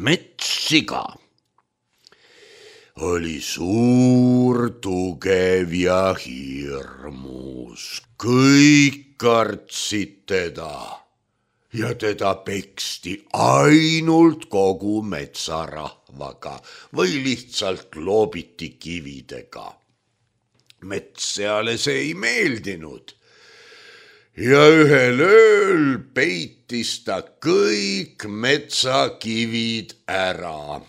Metssiga oli suur, tugev ja hirmus. Kõik kartsid teda ja teda peksti ainult kogu metsarahvaga või lihtsalt loobiti kividega. Metsseale see ei meeldinud ja ühel ööl peitis ta kõik metsakivid ära.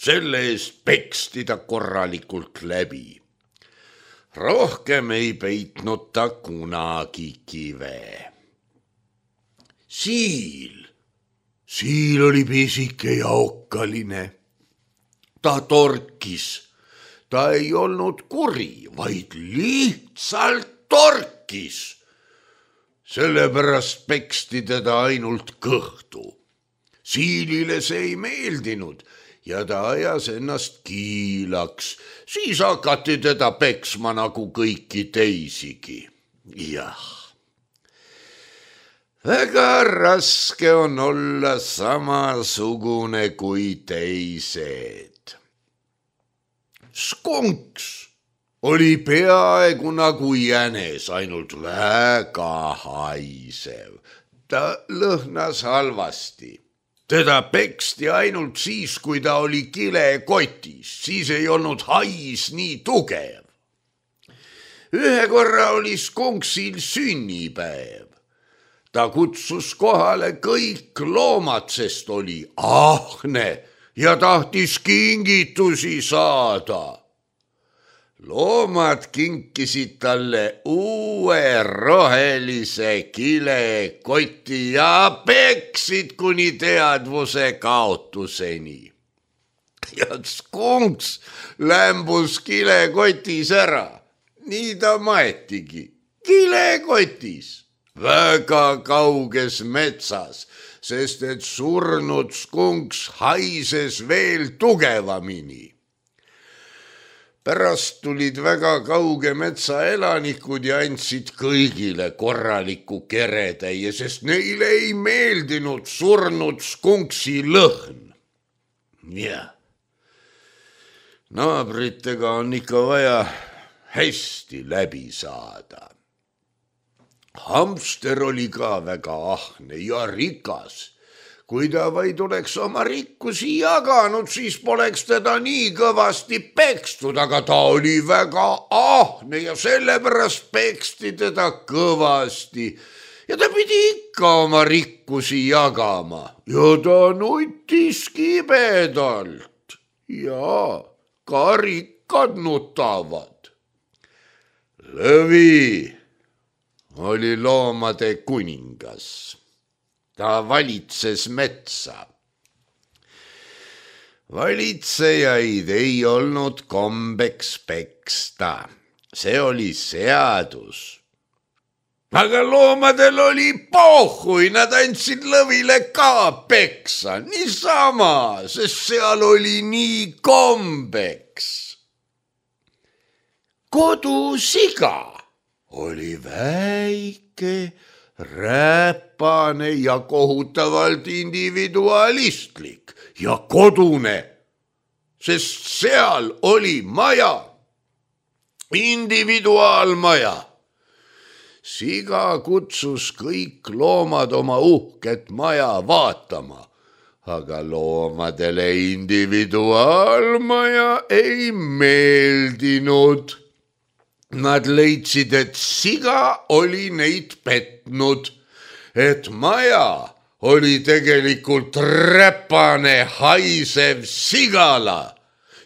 Selle eest peksti ta korralikult läbi. Rohkem ei peitnud ta kunagi kive. Siil oli pisike ja okkaline. Ta torkis. Ta ei olnud kuri, vaid lihtsalt torkis. Sellepärast peksti teda ainult kõhtu. Siilile see ei meeldinud ja ta ajas ennast kiilaks. Siis hakati teda peksma nagu kõiki teisigi. Jah. Väga raske on olla samasugune kui teised. Skunks oli peaaegu nagu jänes, ainult väga haisev. Ta lõhnas halvasti. Teda peksti ainult siis, kui ta oli kilekotis, siis ei olnud hais nii tugev. Ühe korra oli skunksil sünnipäev. Ta kutsus kohale kõik loomad, sest oli ahne ja tahtis kingitusi saada. Loomad kinkisid talle uue rohelise kilekoti ja peksid kuni teadvuse kaotuseni. Ja skunks lämbus kilekotis ära. Nii ta maetigi, kilekotis. Väga kauges metsas, sest et surnud skunks haises veel tugevamini. Pärast tulid väga kauge metsa elanikud ja andsid kõigile korraliku keretäie, sest neile ei meeldinud surnud skunksi lõhn. Jah, naabritega on ikka vaja hästi läbi saada. Hamster oli ka väga ahne ja rikas. Kui ta vaid oleks oma rikkusi jaganud, siis poleks teda nii kõvasti pekstud, aga ta oli väga ahne ja sellepärast peksti teda kõvasti. Ja ta pidi ikka oma rikkusi jagama ja ta nutis kibedalt. Ja ka rikkad nutavad. Lõvi oli loomade kuningas. Ta valitses metsa. Valitsejaid ei olnud kombeks peksta. See oli seadus. Aga loomadel oli pohhui, nad andsid Lõvile ka peksa. Niisama, sest seal oli nii kombeks. Kodusiga oli väike, räpane ja kohutavalt individualistlik ja kodune, sest seal oli maja, individuaalmaja. Siga kutsus kõik loomad oma uhket maja vaatama, aga loomadele individuaalmaja ei meeldinud. Nad leidsid, et siga oli neid petnud, et maja oli tegelikult räpane haisev sigala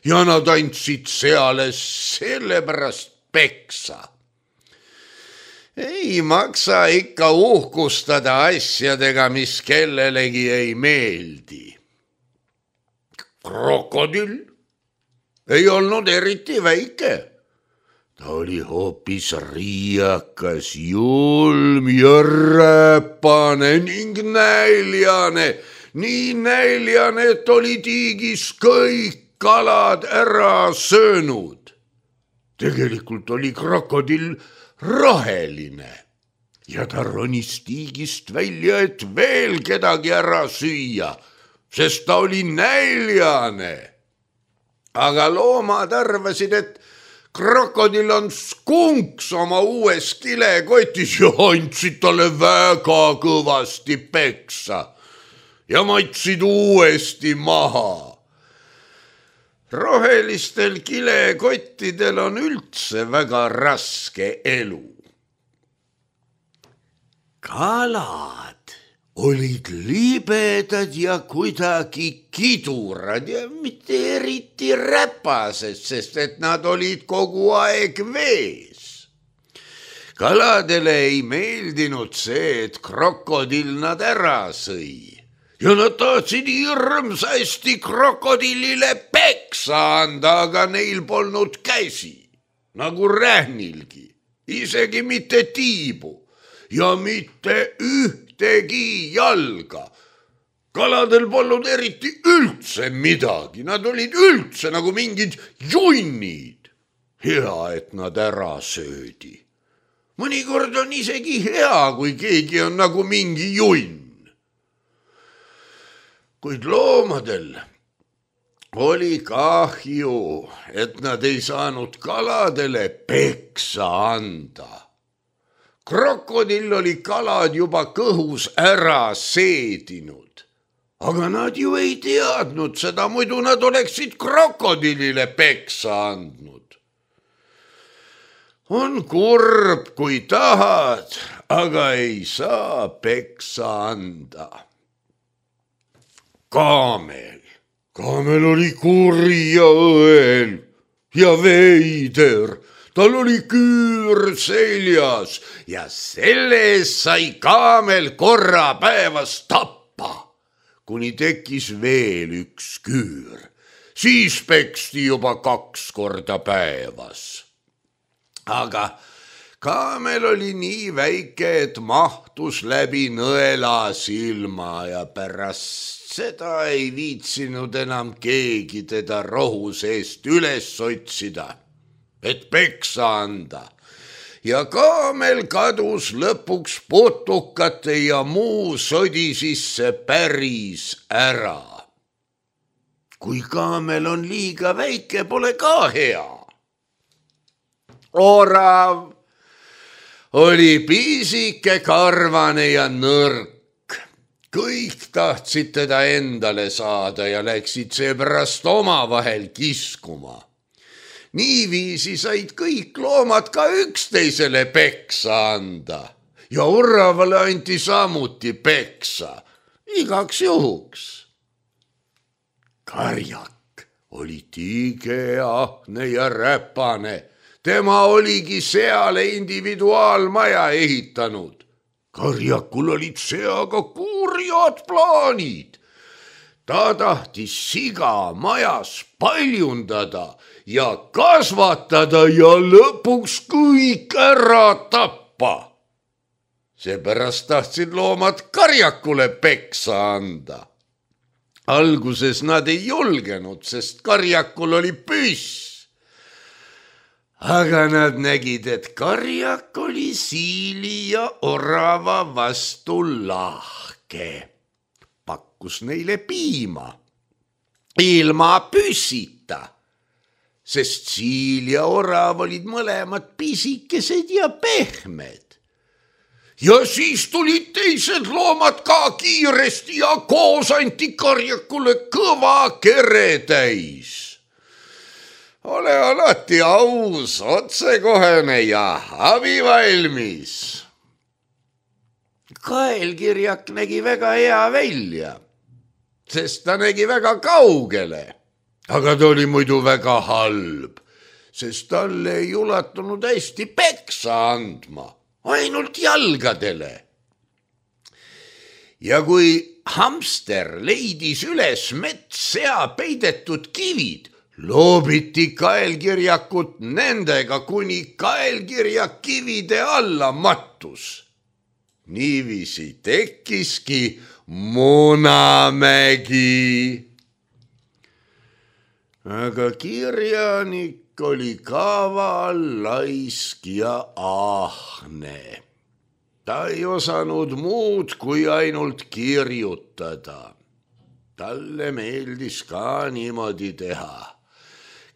ja nad andsid seale sellepärast peksa. Ei maksa ikka uhkustada asjadega, mis kellelegi ei meeldi. Krokodill ei olnud eriti väike. Ta oli hoopis riiakas, julm ja räpane ning näljane, nii näljane, et oli tiigis kõik kalad ära söönud. Tegelikult oli krokodill roheline ja ta ronis tiigist välja, et veel kedagi ära süüa, sest ta oli näljane. Aga loomad arvasid, et krokodill on skunks oma uues kilekotis ja andsid talle väga kõvasti peksa ja matsid uuesti maha. Rohelistel kilekottidel on üldse väga raske elu. Kalad olid libedad ja kuidagi kidurad ja mitte eriti räpased, sest et nad olid kogu aeg vees. Kaladele ei meeldinud see, et krokodill nad ära sõi. Ja nad tahtsid hirmsasti krokodillile peksa anda, aga neil polnud käsi, nagu rähnilgi, isegi mitte tiibu ja mitte ühtegi jalga. Kaladel polnud eriti üldse midagi, nad olid üldse nagu mingid junnid. Hea, et nad ära söödi. Mõnikord on isegi hea, kui keegi on nagu mingi junn. Kuid loomadel oli kahju, et nad ei saanud kaladele peksa anda. Krokodill oli kalad juba kõhus ära seedinud, aga nad ju ei teadnud seda, muidu nad oleksid krokodillile peksa andnud. On kurb, kui tahad, aga ei saa peksa anda. Kaamel oli kuri ja õel ja veider, tal oli küür seljas ja selle eest sai kaamel korra päevas tappa, kuni tekkis veel üks küür. Siis peksti juba 2 korda päevas. Aga kaamel oli nii väike, et mahtus läbi nõela silma ja pärast seda ei viitsinud enam keegi teda rohu seest üles otsida, et peksa anda. Ja kaamel kadus lõpuks putukate ja muu sodi sisse päris ära. Kui kaamel on liiga väike, pole ka hea. Orav oli pisike, karvane ja nõrk. Kõik tahtsid teda endale saada ja läksid seepärast omavahel kiskuma. Niiviisi said kõik loomad ka üksteisele peksa anda ja oravale anti samuti peksa, igaks juhuks. Karjak oli tiige, ahne ja räpane. Tema oligi seale individuaalmaja ehitanud. Karjakul olid seaga kurjad plaanid. Ta tahtis siga majas paljundada ja kasvatada ja lõpuks kõik ära tappa. Seepärast tahtsid loomad karjakule peksa anda. Alguses nad ei julgenud, sest karjakul oli püss. Aga nad nägid, et karjak oli siili ja orava vastu lahke. Pakkus neile piima, ilma püssita, sest siil ja orav olid mõlemad pisikesed ja pehmed. Ja siis tulid teised loomad ka kiiresti ja koos anti karjakule kõva kere täis. Ole alati aus, otsekohene ja abivalmis. Kaelkirjak nägi väga hea välja, sest ta nägi väga kaugele. Aga ta oli muidu väga halb, sest talle ei ulatunud hästi peksa andma, ainult jalgadele. Ja kui hamster leidis üles metssea peidetud kivid, loobiti kaelkirjakut nendega, kuni kaelkirjak kivide alla mattus. niiviisi tekkiski Munamägi. Aga kirjanik oli kaval, laisk ja ahne. Ta ei osanud muud kui ainult kirjutada. Talle meeldis ka niimoodi teha.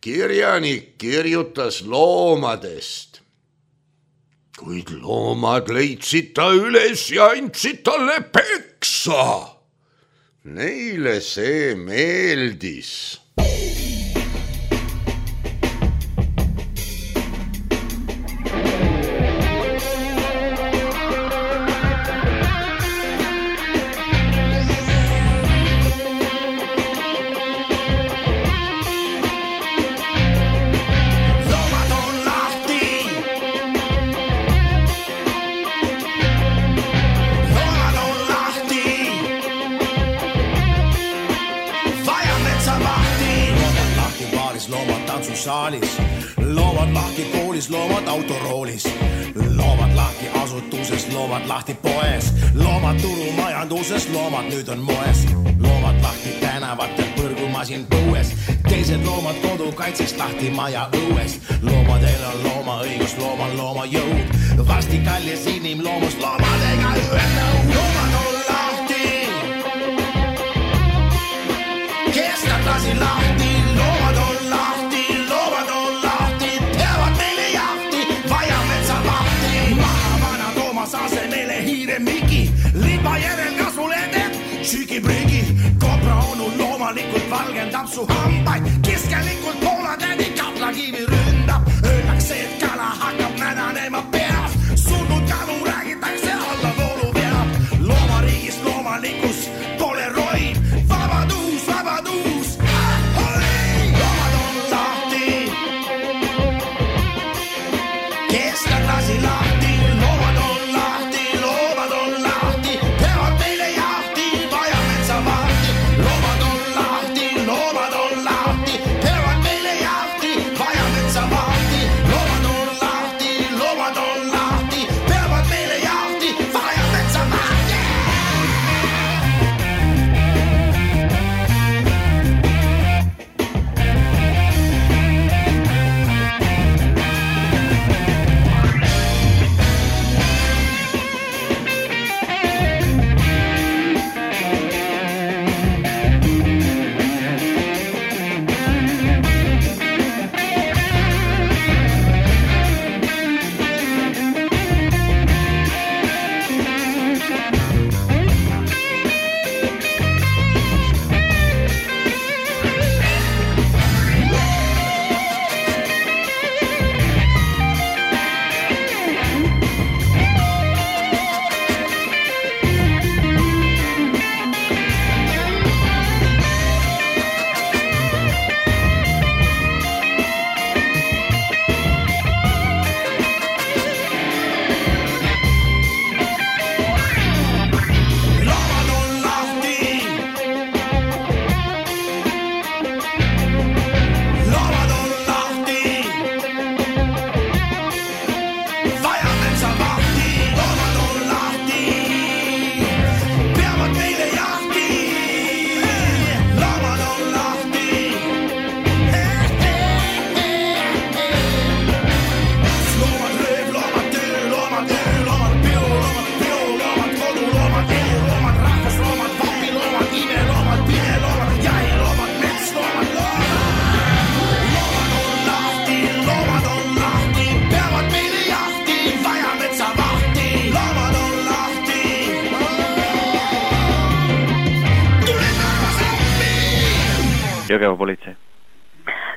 Kirjanik kirjutas loomadest. Kuid loomad leidsid ta üles ja andsid talle peksa. Neile see meeldis. Saalis. Loomad lahti koolis, loomad autoroolis, loomad lahti asutuses, loomad lahti poes, loomad turumajanduses, loomad nüüd on moes, loomad lahti tänavatel, põrgumasin põues, teised loomad kodukaitseks lahti maja õues, loomadel on loomaõigus, loomal loomajõud, varsti kallis inimloomus loomadega ühendab, loomad on lahti, kes nad lasi lahti, loomad on lahti. Liba järel kasvulede, sügiprigi, kobra onu loomalikult valgendab su hambaid, kiskelikult poolatädi kaplakivi ründab, öeldakse, et kala hakkab nädanema peas, surnud kalu räägitakse alla voolu peab, loomariigis loomalikkus pole roib, vabadus, vabadus, loomad on lahti, kes nad lasi lahti, loomad on lahti, loomad on lahti, peavad meile jahti, vaja metsa vahti, loomad on lahti, peavad meile jahti, vaja metsa vahti, loomad on lahti, peavad meile jahti, vaja metsa vahti. Jõgeva politsei.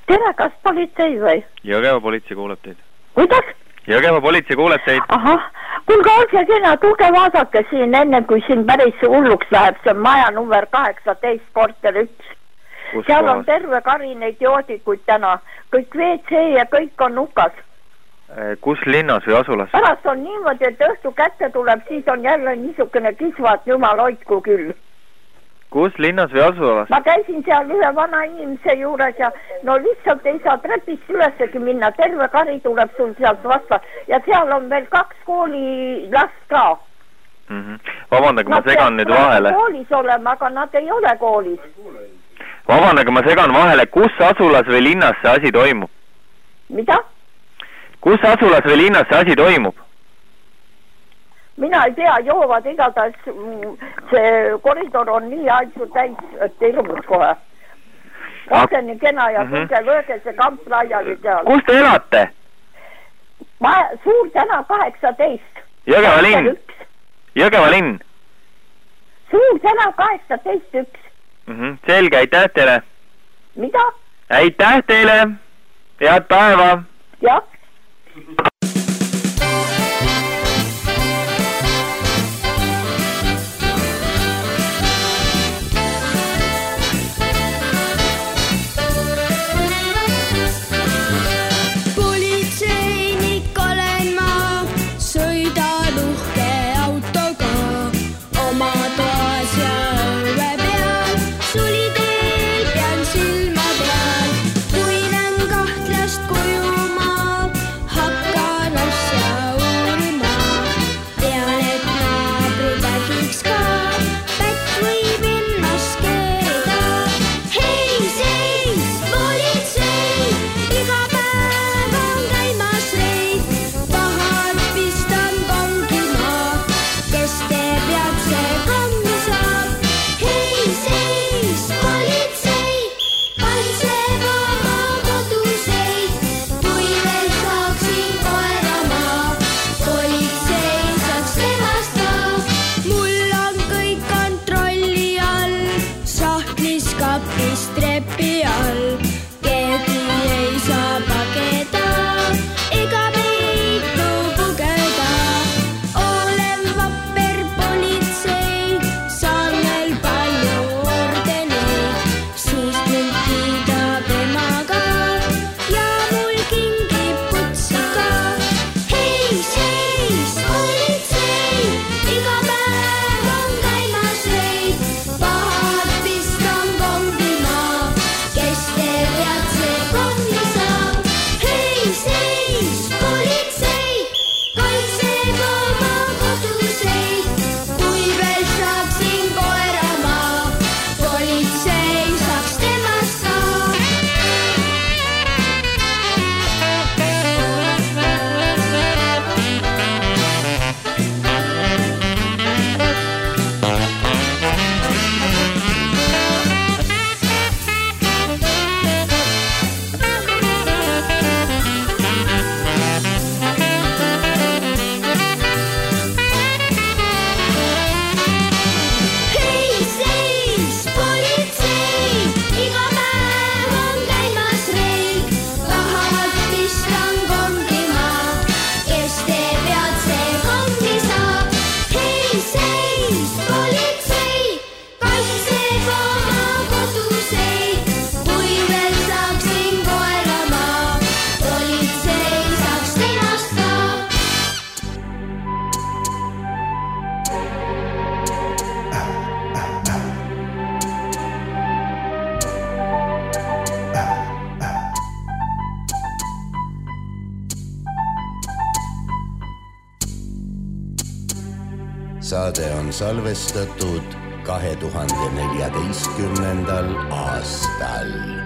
Tere, kas politsei või? Jõgeva politsei kuuleb teid. Kuidas? Jõgeva politsei kuuleb teid. Ahah, kuulge olge kena, tulge vaadake siin enne, kui siin päris hulluks läheb. See on maja number 18, korter 1. Seal on terve kari neid joodikuid täna. Kõik WC ja kõik on nukas. Kus linnas või asulas? Pärast on niimoodi, et õhtu kätte tuleb, siis on jälle niisugune kisvat, jumal hoidku küll. Kus linnas või asulas? Ma käisin seal ühe vana inimese juures ja no lihtsalt ei saa trepist ülesegi minna. Terve kari tuleb sul sealt vasta ja seal on veel 2 koolilast ka. Vabandage, ma segan nüüd vahele. Koolis olema, aga nad ei ole koolis. Vabandage, ma segan vahele. Kus asulas või linnas see asi toimub? Mida? Kus asulas või linnas see asi toimub? Mina ei tea, joovad igatahes see koridor on nii aitsu täis, et hirmus kohe. Olge nii kena ja tulge lööge see kamp laiali seal. Kus te elate? Suur täna 18. Jõgeva linn. Jõgeva linn. Suur täna 18.1. Selge, aitäh teile. Mida? Aitäh teile. Head päeva. Jah. Saade on salvestatud 2014. aastal.